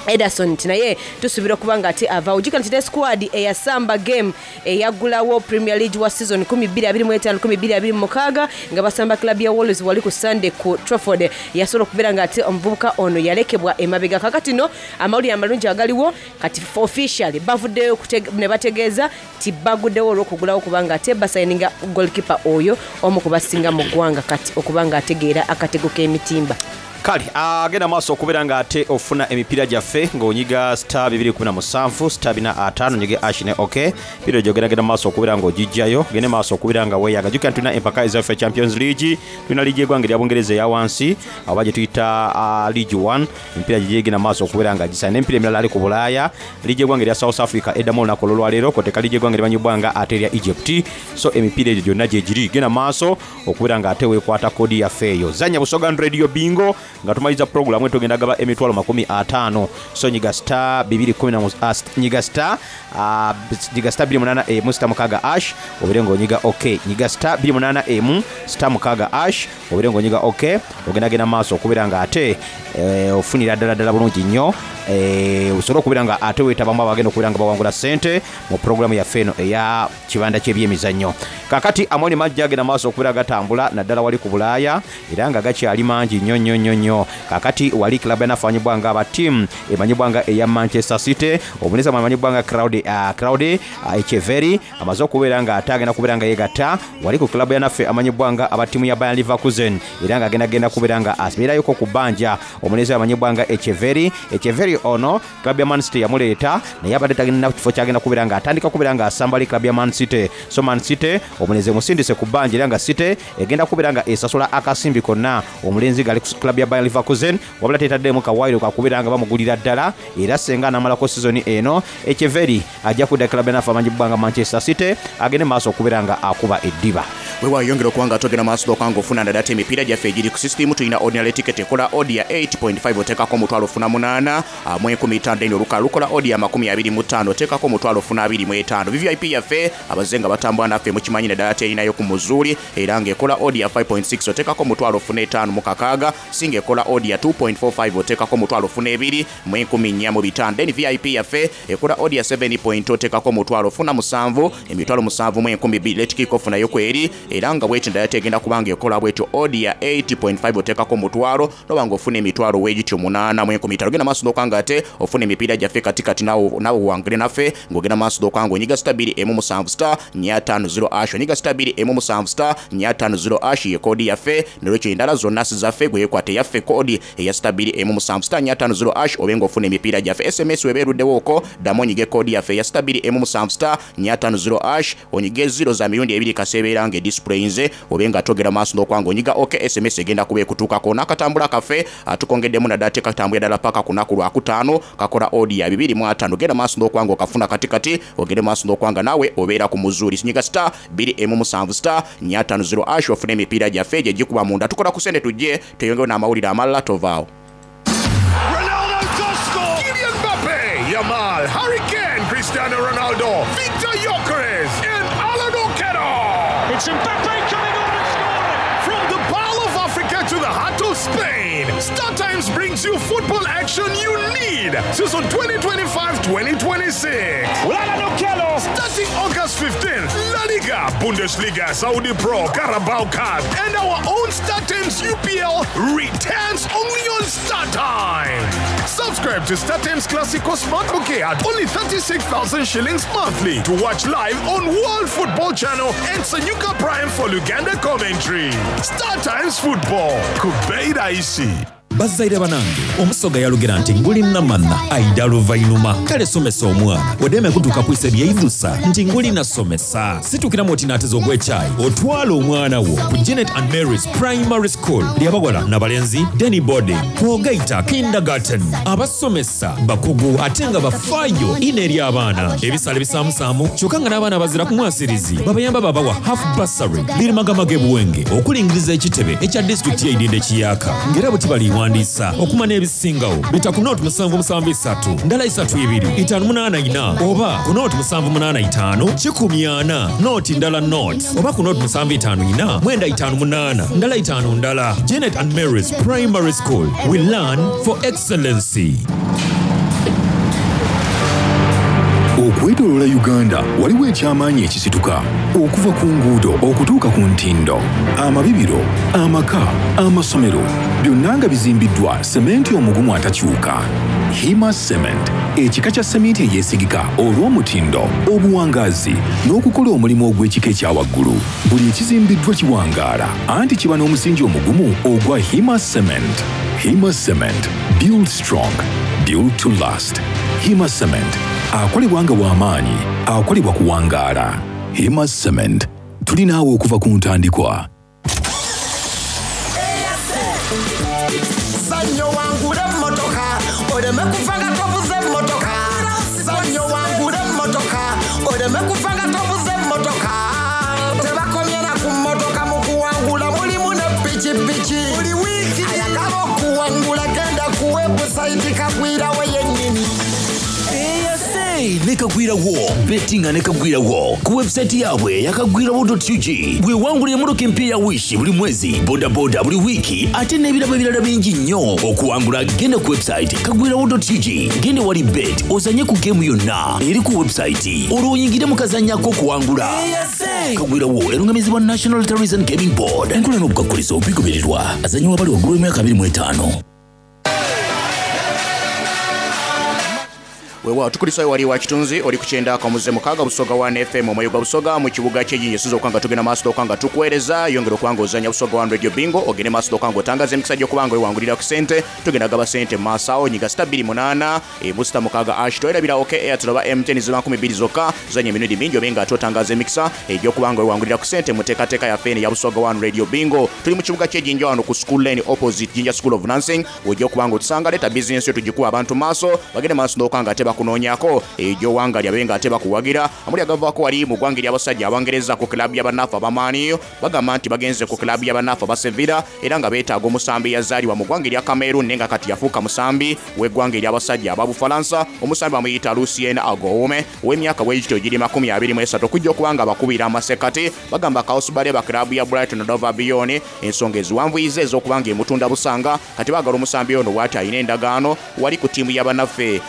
Ederson nti naye tusuubira okuba nga ate avaawo. Jjukira nti ne squad eyasamba game eyaggulawo Premier League wa season twenty twenty-five twenty twenty-six nga basamba club ya Wolves wali ku Sunday ku Trafford, yasobola okubeera nga ate omuvubuka ono yalekebwa emabega. Kakati no amawulire amalungi agaliwo kati, officially bavuddeyo okutege- ne bategeeza nti baguddewo olw'okugulawo, kubanga ate basayininga goalkeeper oyo omu ku basinga mu ggwanga kati okuba nga ategeera akatego k'emitimba. Kale agenda maaso okubeera nga ate ofuna emipiira gyaffe ng'onyiga star two seven star four five, onyige hash ne ok piro gyogendagenda maaso okubeera ng'ogijjayo, gende maaso okubeera nga weeyaga. Jjukira nti tulina empaka ezaffe Champions League, tulina liigi y'eggwanga erya Bungereza eya wansi oba gye tuyita uh, League one, emipiira gye gigenda maaso okubeera nga gisana n'emipiira emirala ali ku Bulaaya. Liigi y'eggwanga erya South Africa eddamu olunaku olwolwaleero, kwoteka liigi y'eggwanga erimanyibwa nga ate erya Egypt. So emipiira egyo gyonna gye giri, genda maaso okubeera nga ate weekwata koodi yaffe eyo. Zanya Busoga Radio Bingo nga tumaliza puroguramu, tugenda gaba emitwalo makumi ataano. So nyiga star two ten, ah, st- nyiga star ah, nyiga star two eight emu star mukaaga hash obeere ng'onyiga ok. Nyiga star two eight emu star mukaaga hash obeere ng'onyiga ok, ogendagenda maaso okubeera nga ate eh, ofunira ddala ddala bulungi nnyo, eh, osobole okubeera nga ate weetabamu abagenda okubeera nga bawangula ssente mu puroguramu yaffe eno eya kibanda ky'ebyemizannyo. Kakati amawulire mangi agenda maaso okubeera gatambula naddala wali ku Bulaaya, era nga gakyali mangi nnyo nnyo nnyo nnyo. Kakati wali club yanafanyibwa nga aba team emanyibwa nga eya Manchester City, omuneza amanyibwa nga Claude uh, Claude uh, Echeverri amaze okubeera nga ate agenda kubeera nga yegatta wali ku club yanaffe amanyibwa nga aba ttiimu ya Bayer Leverkusen, era nga agenda genda kubeera nga abeerayoko ku bbanja. Omunezi amanyibwa nga Echeverri, Echeverri ono club ya Man City yamuleeta, naye abadde tagenda kifo kyagenda kubeera nga atandika kubeera nga asamba ali club ya Man City. So Man City omulenzi emusindise ku bbanja, era nga City egenda kubeera nga esasula akasimbi konna omulenzi ng'ali ku club ya Bayer Leverkusen, wabula tetaddemu kawaayiro kakubeera nga bamugulira ddala. Era senga anamalako sizoni eno, Echeverri ajja kudda club yanaffe amanyibwa nga Manchester City, agende maaso okubeera nga akuba eddiba. Weewayongera okuba nga togenda maaso okuba nga ofuna ndala ate emipiira gyaffe egiri ku system. Tulina ordinary ticket ekola odd ya eight point five, oteekako omutwalo ofuna munaana ah, mu enkumi ttaano. Then olukala lukola odd ya makumi abiri mu ttaano, oteekako omutwalo ofuna abiri mu etaano. V V I P yaffe abazze nga batambula naffe mukimanyi naddala ate erinayo ku muzuuli, era ng'ekola odd ya five point six, oteekako omutwalo ofuna etaano mu kakaaga. Singa ekola odd ya two point four five, oteekako omutwalo ofuna ebiri mu enkumi nnya mu bitaano. Then V I P yaffe ekola odd ya seven point, oteekako omutwalo ofuna musanvu, emitwalo musanvu mu enkumi bbiri. Late kick off nayo kweri, era nga bweti ndala tegenda kubanga ekola bwetyo odd ya eight point five, oteekako omutwalo noba nga ofuna emitwalo weegityo munaana mu enkumi ttaano. Genda maaso n'okanga ate ofuna emipiira gyaffe katikati, naawe naawe wangule naffe ng'ogenda maaso n'okanga onyiga star bbiri emu musanvu star nnya ttaano zero hash, onyiga star bbiri emu musanvu star nnya ttaano zero hash, ye koodi yaffe. Nolwekyo endala zonna si zaffe, gwe yeekwata eyaffe koodi eya star bbiri emu musanvu star nnya ttaano zero hash, obe ng'ofuna emipiira gyaffe. S M S weba eruddewo okwo, ddamu onyige koodi yaffe eya star bbiri emu musanvu star nnya ttaano zero hash, onyige zero za mirundi ebiri kaseebeera nga edisplayinze, obe nga togera maaso n'okwanga onyiga ok, S M S egenda kuba ekutuukako. N'akatambula kaffe ah, tukongeddemu naddala tekatambulira ddala paka ku lunaku lwakutaano, kakola odd ya bibiri mu ataano. Genda maaso n'okwanga okafuna katikati, ogende maaso n'okwanga naawe obeera ku muzuuli. Sinyiga star bbiri emu musanvu star nnya ttaano zero hash ofune emipiira gyaffe gye gikuba munda. Tukola ku sente, tujje tweyongeyo n'amawulire amalala, tovaawo. Ronaldo to score! Kylian Mbappe, Yamal, Harry Kane, Cristiano Ronaldo, Victor Gyökeres, and Alan Okello. It's Mbappe coming on and scoring! From the Pearl of Africa to the heart of Spain, Star Times brings you football action you need. Season twenty twenty-five twenty twenty-six. Alan Okello! Starting August fifteenth, La Liga, Bundesliga, Saudi Pro, Carabao Cup, and our own Star Times U P L returns only on Star Times. Subscribe to Star Times Classico Smart Bouquet at only thirty-six thousand shillings monthly to watch live on World Football Channel and Sanyuka Prime for Luganda commentary. Star Times Football. Kubeida isi. Bazzaire banange, omusoga yalugera nti nguli namanna aida luvainuma. Kale somesa omwana odeme kutuuka kwisa ebyeidusa nti nguli nasomesa. Situkiramu oti naateza ogw'ekyayi, otwala omwana wo ku Janet and Marys Primary School lyabawala nabalenzi, day boarding kwogaita kindergarten. Abasomesa bakugu ate nga bafaayo ino eri abaana. Ebisale bisaamusaamu, kyokka nga n'abaana bazira ku mwasirizi babayamba babawa half bursary. Lirimagamage buwenge okulingiriza ekitebe ekya disitulikiti y'eidinda ekiyaka, ng'era bwe tibaliwandiisa okumanya ebisingawo bita ku nooti musanvu musanvu esatu ndala isatu ibiri itaano munaana ina, oba ku nooti musanvu munaana itaano kikumi ana nooti ndala nooti, oba ku nooti musanvu itaano ina mwenda itaano munaana ndala itaano ndala. Janet and Marys Primary School, we learn for excellency. Okwetooloola Uganda waliwo ekyamaanyi ekisituka okuva ku nguudo okutuuka ku ntindo, amabibiro, amaka, amasomero, byonna nga bizimbiddwa sementi omugumu atakyuka. Hima Cement, ekika kya seminti eyeesigika olw'omutindo, obuwangaazi n'okukola omulimu ogw'ekika ekya waggulu. Buli ekizimbiddwa kiwangaala anti kiba n'omusingi omugumu ogwa Hima Cement. Hima Cement, build strong, build to last. Hima Cement akolebwa nga w'amaanyi, akolebwa kuwangaala. Hima Cement, tuli naawe okuva ku ntandikwa. Zanyo wangule emmotoka oleme kufa nga tovuze emmotoka. Zanyo wangule emmotoka oleme kufa nga tovuze emmotoka. Tebakomye na ku mmotoka, mu kuwangula mulimu ne pikipiki. Buli wiiki ayagala okuwangula genda ku webusayiti Kagwirawo yennyini. Ne Kagwirawo bettinga ne Kagwirawo ku website yaabwe yakagwirawo dot U G. Bwewangulira emmotoka empya ya Wish buli mwezi, bodaboda buli wiiki, ate n'ebirabo ebirala bingi nnyo. Okuwangula genda ku website kagwirawo dot U G, genda wali bet ozanye ku geemu yonna eri ku website, olwo oyingire mu kazanyo ak'okuwangula. Kagwirawo erungamizibwa National Lotteries and Gaming Board. Enkola n'obukwakkulizo bigobererwa. Azanyibwa bali waggulu w'emyaka abiri mu etaano. Weewaawo, tukulisayo wali wa kitunzi oli ku kyenda akamuze mukaaga Busoga one F M, omwoyo gwa Busoga mu kibuga ky'Ejinja. Esinza okuba nga tugenda maaso okuba nga tukuweereza. Yongera okuba nga ozanya Busoga one Radio Bingo, ogende maaso okuba nga otangaza emikisa gy'okuba nga wewangulira ku sente. Tugenda gaba sente mu maaso awo. Nyiga star bbiri munaana emu star mukaaga hash. Toyerabira OK Airtel oba M T N ziba nkumi bbiri zokka. Tuzanya emirundi mingi obe nga ate otangaza emikisa egy'okuba nga wewangulira ku sente mu nteekateeka yaffe eno eya Busoga one Radio Bingo. Tuli mu kibuga ky'Ejinja wano ku School Lane, opposite Jinja School of Nursing, wejja okuba nga otusanga. Leeta bizinesi yo tugikuwa abantu maaso bagende maaso n'okuba nga ate bakunoonyako egy'owanga lyabe nga ate bakuwagira. Amuli agavaako wali mu ggwanga ery'abasajja Abangereza ku kilabu y'abannaffe abamaaniyo, bagamba nti bagenze ku kilabu y'abannaffe aba Sevilla era nga beetaaga omusambi yazaalibwa mu ggwanga erya Cameroon naye nga kati yafuuka musambi w'eggwanga ery'abasajja ababufalansa. Omusambi bamuyita Lucien Agoume ow'emyaka bwegityo giri makumi abiri mu esatu, okujja okuba nga bakubira amasekati. Bagamba Kaosibale ba kilabu ya Brighton Hove Albion ensonga eziwanvuyiza ez'okuba nga emutunda busanga. Kati baagala omusambi ono bw'ati alina endagaano wali ku ttiimu y'abannaffe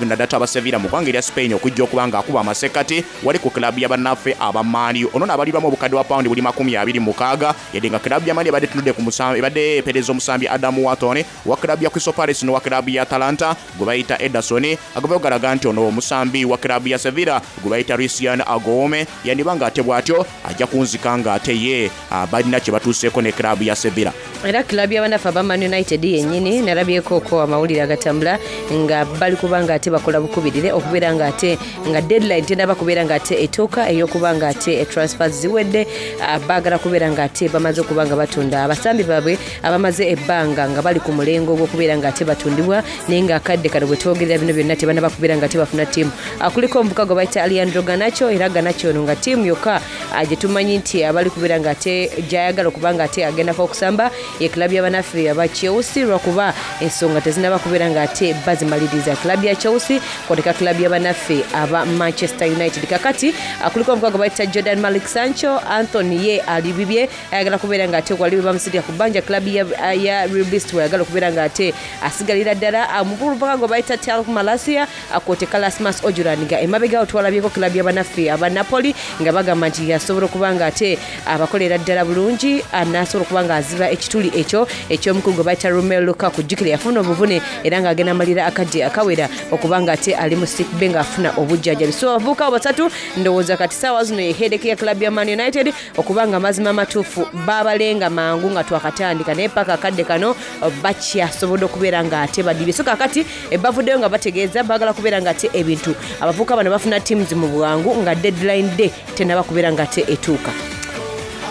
naddala aba Sevilla mu ggwanga erya Spain, okujja okuba nga akuba amasekati wali ku kilabu y'abannaffe abamaani. Ono naabalirwamu obukadde bwa pawundi buli makumi abiri mu mukaaga, yadde nga kilabu y'amaani ebadde etunudde ku musambi, ebadde epereza omusambi Adam Wharton wa kilabu ya Crystal Palace n'owa kilabu ya Atalanta gwe bayita Ederson. Agavayo galaga nti ono omusambi wa kilabu ya Sevilla gwe bayita Lucien Agoume yandiba nga ate bw'atyo ajja kunzika nga ate ye ah, balina kye batuuseeko ne kilabu ya Sevilla. Era kilabu y'abanafu aba Man United yennyini nalabyeko amawulire agatambula nga bali kuba nga ate bakola bukubirire okubeera nga ate nga deadline tenaba kubeera nga ate etuuka ey'okuba nga ate transfers ziwedde. ah, baagala kubeera nga ate bamaze okuba nga batunda abasambi baabwe abamaze ebbanga nga bali ku mulengo ogw'okubeera nga ate batundibwa, naye nga akadde kano bwe twogerera bino byonna tebanaba kubeera nga ate bafuna ttiimu. Ah, kuliko omuvuka gwe bayita Alejandro Garnacho, era Garnacho ono nga ttiimu yokka ah, gye tumanyi nti abali kubeera nga ate gyayagala okuba nga ate agendako okusamba ye kilabu y'abanaffe aba Chelsea, lwakuba ensonga tezinaba kubeera nga ate bazimaliriza kilabu ya Chelsea kwoteka kilabu y'abanaffe aba Manchester United. Kakati ah, kuliko omuvuka gwe bayita Jadon Malik Sancho. Anthony ye ali bibye, ayagala kubeera nga ate wali bamusindika ku bbanja kilabu ya, ya Real Betis, weyagala okubeera nga ate asigalira ddala. Ah, omuvubuka gwe bayita Tyrell Malacia kwoteka Rasmus Hojlund, nga emabega twalabyeko kilabu y'abanaffe aba Napoli nga bagamba nti yasobola okuba nga ate abakolera ddala bulungi, ah, n'asobola okuba nga aziba ekituli ekyo eky'omukulu gwe bayita Romelu Lukaku. Jjukira yafuna obuvune era ng'agenda amalira akadde akawera okuba nga ate ali mu sick bay ng'afuna obujjanjabi. So abavubuka abo basatu ndowooza kati saawa zino ye headache ya club ya Man United, okuba nga amazima amatuufu babalenga mangu nga twakatandika, naye paka akadde kano bakyasobodde okubeera nga ate badibye. So kakati eh, bavuddeyo nga bategeeza baagala kubeera nga ate ebintu abavubuka bano bafuna teams mu bwangu nga deadline day tenaba kubeera nga ate etuuka.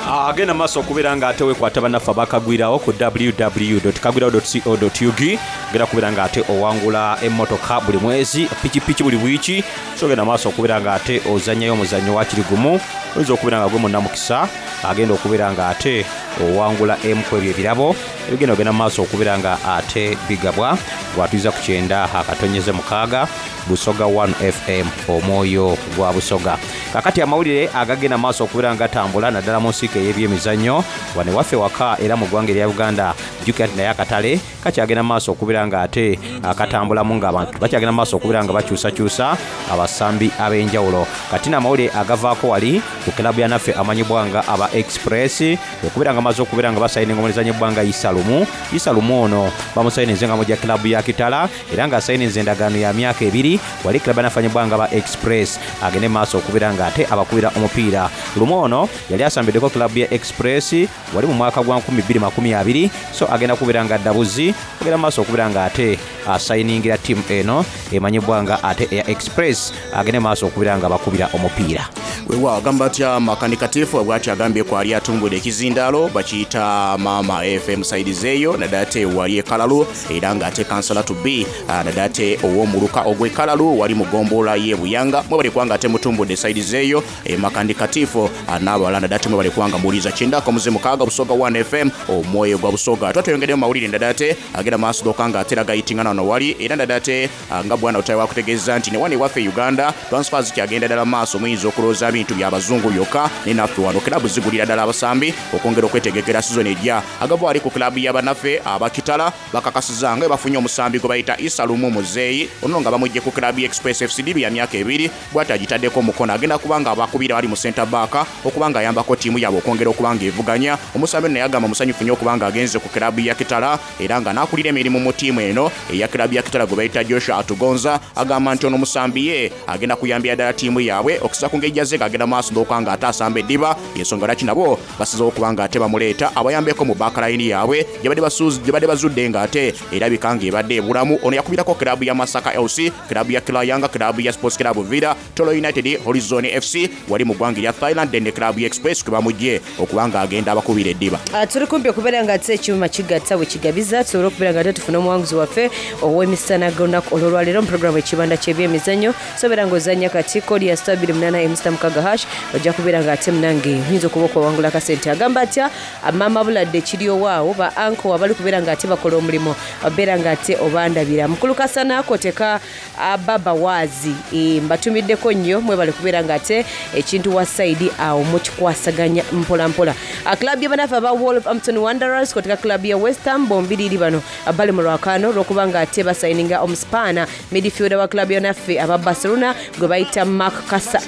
Agenda maaso okubeera nga ate wekwata bannaffe abakagwirawo ku W W W kagwirawo co ug. Genda kubeera nga ate owangula emmotoka buli mwezi, pikipiki buli wiiki. So genda maaso okubeera nga ate ozannyayo omuzannyo wakiri gumu, oyinza okubeera nga gwe munnamukisa agenda okubeera nga ate owangula emu ku ebyo ebirabo ebigenda ogenda mu maaso okubeera nga ate bigabwa. Bwatuliza ku kyenda akatonyeze mukaaga Busoga one F M, omwoyo gwa Busoga. Kakati amawulire agagenda maaso okubeera nga gatambula naddala mu nsiike ey'ebyemizannyo wano waffe waka era mu ggwanga erya Uganda, jjukira nti naye akatale kakyagenda maaso okubeera nga ate akatambulamu ng'abantu bakyagenda maaso okubeera nga bakyusakyusa abasambi ab'enjawulo. Kati n'amawulire agavaako wali ku kilabu ya naffe amanyibwa nga aba Express okubeera nga bamaze okubeera nga basayininga omulezanyi ebbanga Isa Lumu. Isa Lumu ono bamusayininze nga mujja kilabu ya Kitala era ng'asayininze endagaano ya myaka ebiri wali kilabu ya naffe amanyibwa nga aba Express agende maaso okubeera nga ate abakubira omupiira. Lumu ono yali asambiddeko kilabu ya Express wali mu mwaka gwa nkumi bbiri makumi abiri, so agenda kubeera nga ddabuzi ogenda maaso okubeera nga ate asayiningira ttiimu eno emanyibwa nga ate eya Express agende maaso okubeera nga bakubira omupiira. Weewaawo agamba atya Makanika Tifu bw'atyo agambye kwali atumbudde ekizindaalo bakiyita Maama F M side eyo naddala ate wali e Kalalu era ng'ate kansala to be naddala ate ow'omuluka ogw'e Kalalu wali mu ggombolola y'e Buyanga mwebale kubanga ate mutumbudde side eyo Makanika Tifu n'abalala naddala ate mwebale kubanga muwuliriza kyenda akamuze mukaaga Busoga one F M omwoyo gwa Busoga. Twatweyongeddeyo mu mawulire naddala ate agenda maaso gokka nga ate gayitingana wano wali era naddala ate nga bwana Otayi wakutegeeza nti ne wano ewaffe Uganda transfers zikyagenda ddala maaso, muyinza okulowooza bintu by'abazungu byokka ne naffe wano kilabu zigulira ddala abasambi okwongera okwetegekera sizoni ejja. Agava wali ku kilabu y'abannaffe abakitala bakakasizza nga bafunye omusambi gwe bayita Isa Lumu Muzeeyi ono nga bamugye ku kilabu ya Express F C D ya myaka ebiri bw'ati agitaddeko omukono agenda kuba nga abakubira wali mu center back okuba nga ayambako ttiimu yaabwe okwongera okuba nga evuganya. Omusambi ono yagamba musanyufu nnyo okuba nga agenze ku kilabu ya Kitala era nga n'akulira emirimu mu ttiimu eno eya kilabu ya Kitala gwe bayita Joshua Atugonza agamba nti ono omusambi ye agenda kuyambira ddala ttiimu yaabwe okusa ku ngeri gy'azze ng'agenda maaso n'okuba nga ate asamba eddiba y'ensonga lwaki nabo basizeewo okuba nga ate bamuleeta abayambeko mu backline yaabwe gye badde basuuzi, gye badde bazudde ng'ate erabika ng'ebadde ebulamu. Ono yakubirako kilabu ya Masaka L C, kilabu ya Kilayanga, kilabu ya Sports Club Villa, Tolo United, Horizon F C wali mu ggwanga erya Thailand ne kilabu ya Express kwe bamugye okuba ng'agenda abakubira eddiba. Ah, tuli kumpi okubeera nga ate ekyuma kigatta bwe kigabiza tusobole okubeera nga ate tufune omuwanguzi waffe ow'emisana g'olunaku olw'olwaleero mu puroguramu Ekibanda ky'ebyemizannyo. Sobeera ng'ozannya kati kodi ya star bbiri munaana emu sita mukaaga hash ojja kubeera ng'ate munange oyinza okuba okwawangula akasente. Agamba atya Maama Buladde kiri owaawo ba anko abali kubeera ng'ate bakola omulimu obeera ng'ate obandabira. Mukulu Kasana koteka Baba Waazi e, mbatumiddeko nnyo mwebale kubeera ng'ate ekintu wa side awo mukikwasaganya mpola mpola. Club y'abanafu aba Wolverhampton Wanderers koteka club ya West Ham bombiriri bano bali mu lwakaano olw'okuba ng'ate basayininga omuspaana midfielder wa club y'abanafe aba Barcelona gwe bayita Marc Casa,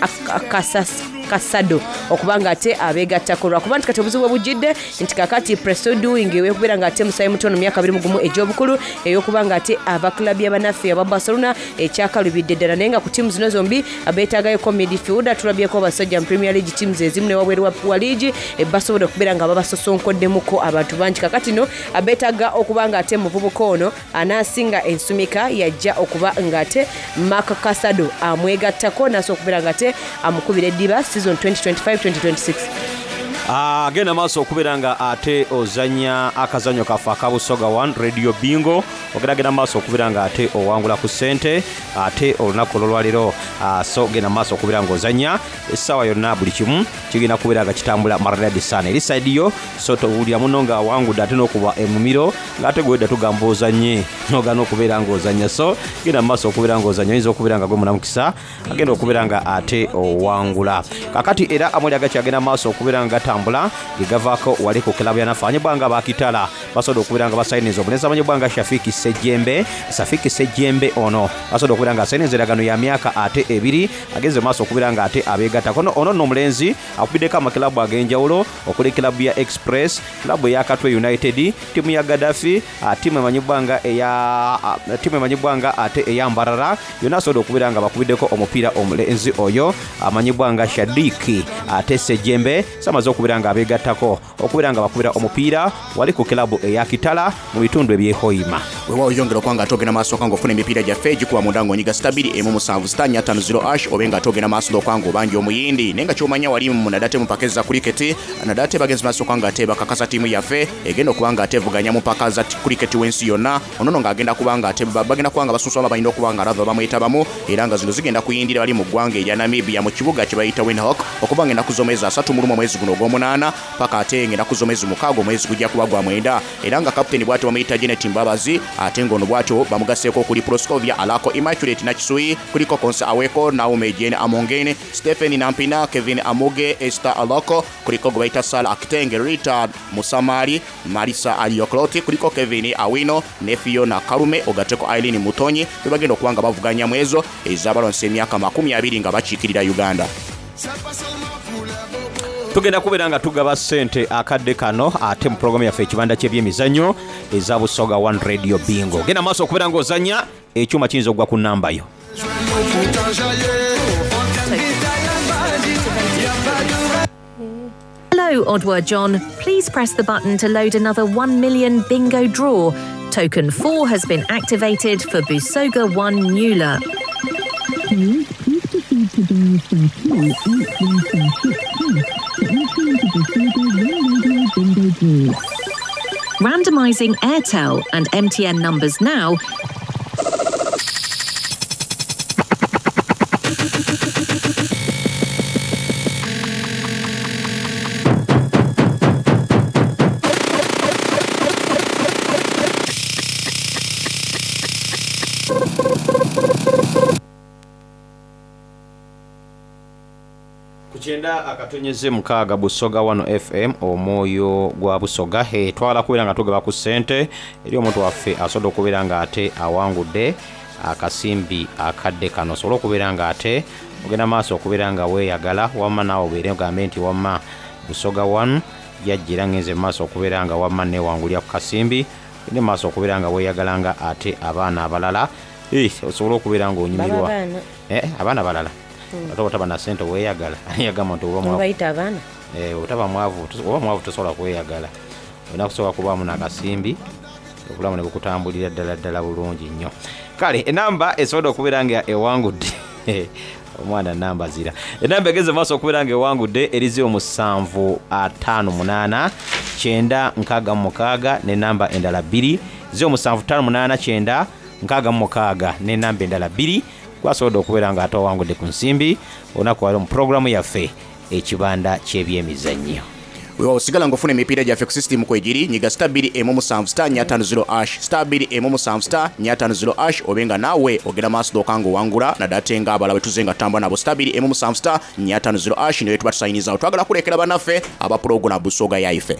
Casas Casado okuba ng'ate abeegattako lwakuba nti kati obuzibu bwe bujjidde nti kakati Preston Doing ew'okubeera ng'ate musayi mutono myaka abiri mu gumu egy'obukulu ey'okuba ng'ate ava club y'abannaffe aba Barcelona ekyakalubidde ddala naye nga ku ttiimu zino zombi beetaagayoko midfielder. Tulabyeko abasajja mu Premier League teams ezimu ne wabweru wa, wa liigi basobodde okubeera nga babasosonkoddemukko abantu bangi. Kakati no beetaaga okuba ng'ate muvubuka ono anaasinga ensumika yajja okuba ng'ate Marc Casado amwegattako n'asobola okubeera ng'ate amukubira eddiba season twenty twenty-five twenty twenty-six. Agenda maaso okubeera nga ate ozannya akazannyo kaffe aka Busoga one Radio Bingo, ogeragenda maaso okubeera nga ate owangula ku ssente ate olunaku olw'olwaleero. So genda maaso okubeera ng'ozannya essaawa yonna buli kimu kigenda kubeera nga kitambula maridadi sana eri side yo, so towulira muno ng'awangudde ate n'okuba emumiro ng'ate gwedda tugamba ozannye n'ogaana okubeera ng'ozannya. So genda maaso okubeera ng'ozannya, oyinza okubeera nga gwe munamukisa agenda okubeera nga ate owangula. Kakati era amawulire agakyagenda maaso okubeera nga gatambula ge gavaako wali ku kilabu ya naffe amanyibwa nga Bakitala basobodde okubeera nga basayiniza omulenzi amanyibwa nga Shafiki Sejjembe. Shafiki Sejjembe ono basobodde okubeera nga asayiniza endagaano ya myaka ate ebiri agenze maaso okubeera nga ate abeegattako. Ono, ono nno omulenzi akubiddeko amakilabu ag'enjawulo okuli kilabu ya Express, kilabu eya Katwe United, ttiimu ya Gaddafi, ttiimu emanyibwa nga eya, ttiimu emanyibwa nga ate eya Mbarara. Yonna asobodde okubeera nga bakubiddeko omupiira omulenzi oyo amanyibwa nga Shadiki ate Sejjembe samaze okubeera nga abeegattako okubeera nga bakubira omupiira wali ku kilabu eya Kitala mu bitundu eby'e Hoima. Weewaawo yongera okuba nga togenda maaso nga ofuna emipiira gyaffe egikuba munda ng'onyiga sita bbiri emu musanvu sita nnya ttaano zero ash obe nga togenda maaso n'okuba ng'obanja omuyindi. Naye nga ky'omanya wali mu naddala mu mpaka za cricket, naddala bagenzi maaso okuba nga ate bakakasa ttiimu yaffe egenda okuba nga ate evuganya mu mpaka za cricket w'ensi yonna. Ono nno ng'agenda kuba nga ate bagenda kuba nga basunsulamu balina okuba nga lava bamwetabamu era nga zino zigenda kuyindira bali mu ggwanga erya Namibia mu kibuga kye bayita Windhoek okuba nga ennaku z'omwezi asatu mu lumu omwezi guno ogw'omunaana. n'omunaana paka ate ng'ennaku z'omwezi mukaaga omwezi gujja kuba gwa mwenda. Era nga kapiteni bw'atyo bamuyita Janet Mbabazi, ate ng'ono bw'atyo bamugasseeko okuli Proscovia Alako, Immaculate Nakisuyi, kuliko Konsa Aweko, Naome Jane Amongene, Stephen Nampina, Kevin Amuge, Esther Aloko, kuliko gwe bayita Sara Akitenge, Rita Musamali, Marisa Aliokloti, kuliko Kevin Awino ne Fiona Karume, ogatteko Eileen Mutonyi, be bagenda okuba nga bavuganya mu ezo ez'abalwanisa emyaka makumi abiri nga bakiikirira Uganda. Tugenda kubeera nga tugaba ssente akadde kano ate mu pulogulaamu yaffe ekibanda ky'ebyemizannyo eza Busoga One Radio Bingo. Genda maaso okubeera ng'ozannya, ekyuma kiyinza okugwa ku nnamba yo. Hello, Odwa John. Please press the button to load another one million bingo draw. Token four has been activated for Busoga one Nula. Please, please proceed to dial star two eight one star six hash to enter into Busoga One Radio Bingo Draw. Randomising Airtel and M T N numbers now. Ku kyenda akatonyeze mukaaga Busoga One F M, omwoyo gwa Busoga. Hey, twagala kubeera nga tugaba ku ssente eri omuntu waffe asobola okubeera nga ate awangudde akasimbi akadde kano, osobola okubeera nga ate ogenda maaso okubeera nga weeyagala, wamma naawe obeere ogambe nti wamma Busoga One yajja era ngenze mu maaso okubeera nga wamma neewangulira ku kasimbi, ogende mu maaso okubeera nga weeyagala nga ate abaana abalala. Eh, osobola okubeera ng'onyumirwa. Baba abaana. Eh, abaana balala. Mm. Ate otaba na ssente weeyagala. Ani yagamba nti oba mwavu? Mubayita abaana? Eh, otaba mwavu, tos-, oba mwavu tosobola kweyagala. Olina kusooka kubaamu n'akasimbi, obulamu ne bukutambulira ddala ddala bulungi nnyo. Kale, enamba esobola okubeera nga ewangudde. Omwana namba zira. Enamba egeze maaso okubeera nga ewangudde eri ziro musanvu ataano munaana kyenda nkaaga mu mukaaga n'enamba endala bbiri. Ziro musanvu ttaano munaana kyenda nkaaga mu mukaaga n'enamba endala bbiri. Gwasobodde okubeera nga ate owangudde ku nsimbi olunaku lwaleero mu pulogulaamu yaffe ekibanda ky'ebyemizannyo. Weewaawo, osigala ng'ofuna emipiira gyaffe ku sisitimu kwegiri, nyiga star bbiri emu musanvu star nnya ttaano zero ash, star bbiri emu musanvu star nnya ttaano zero ash, obe nga naawe ogenda maaso dooka ng'owangula, naddala ate ng'abalala bwe tuzze nga tutambula nabo. Star bbiri emu musanvu star nnya ttaano zero ash, naye tuba tusayinizawo. Twagala kulekera bannaffe aba pulogulaamu Busoga yaife.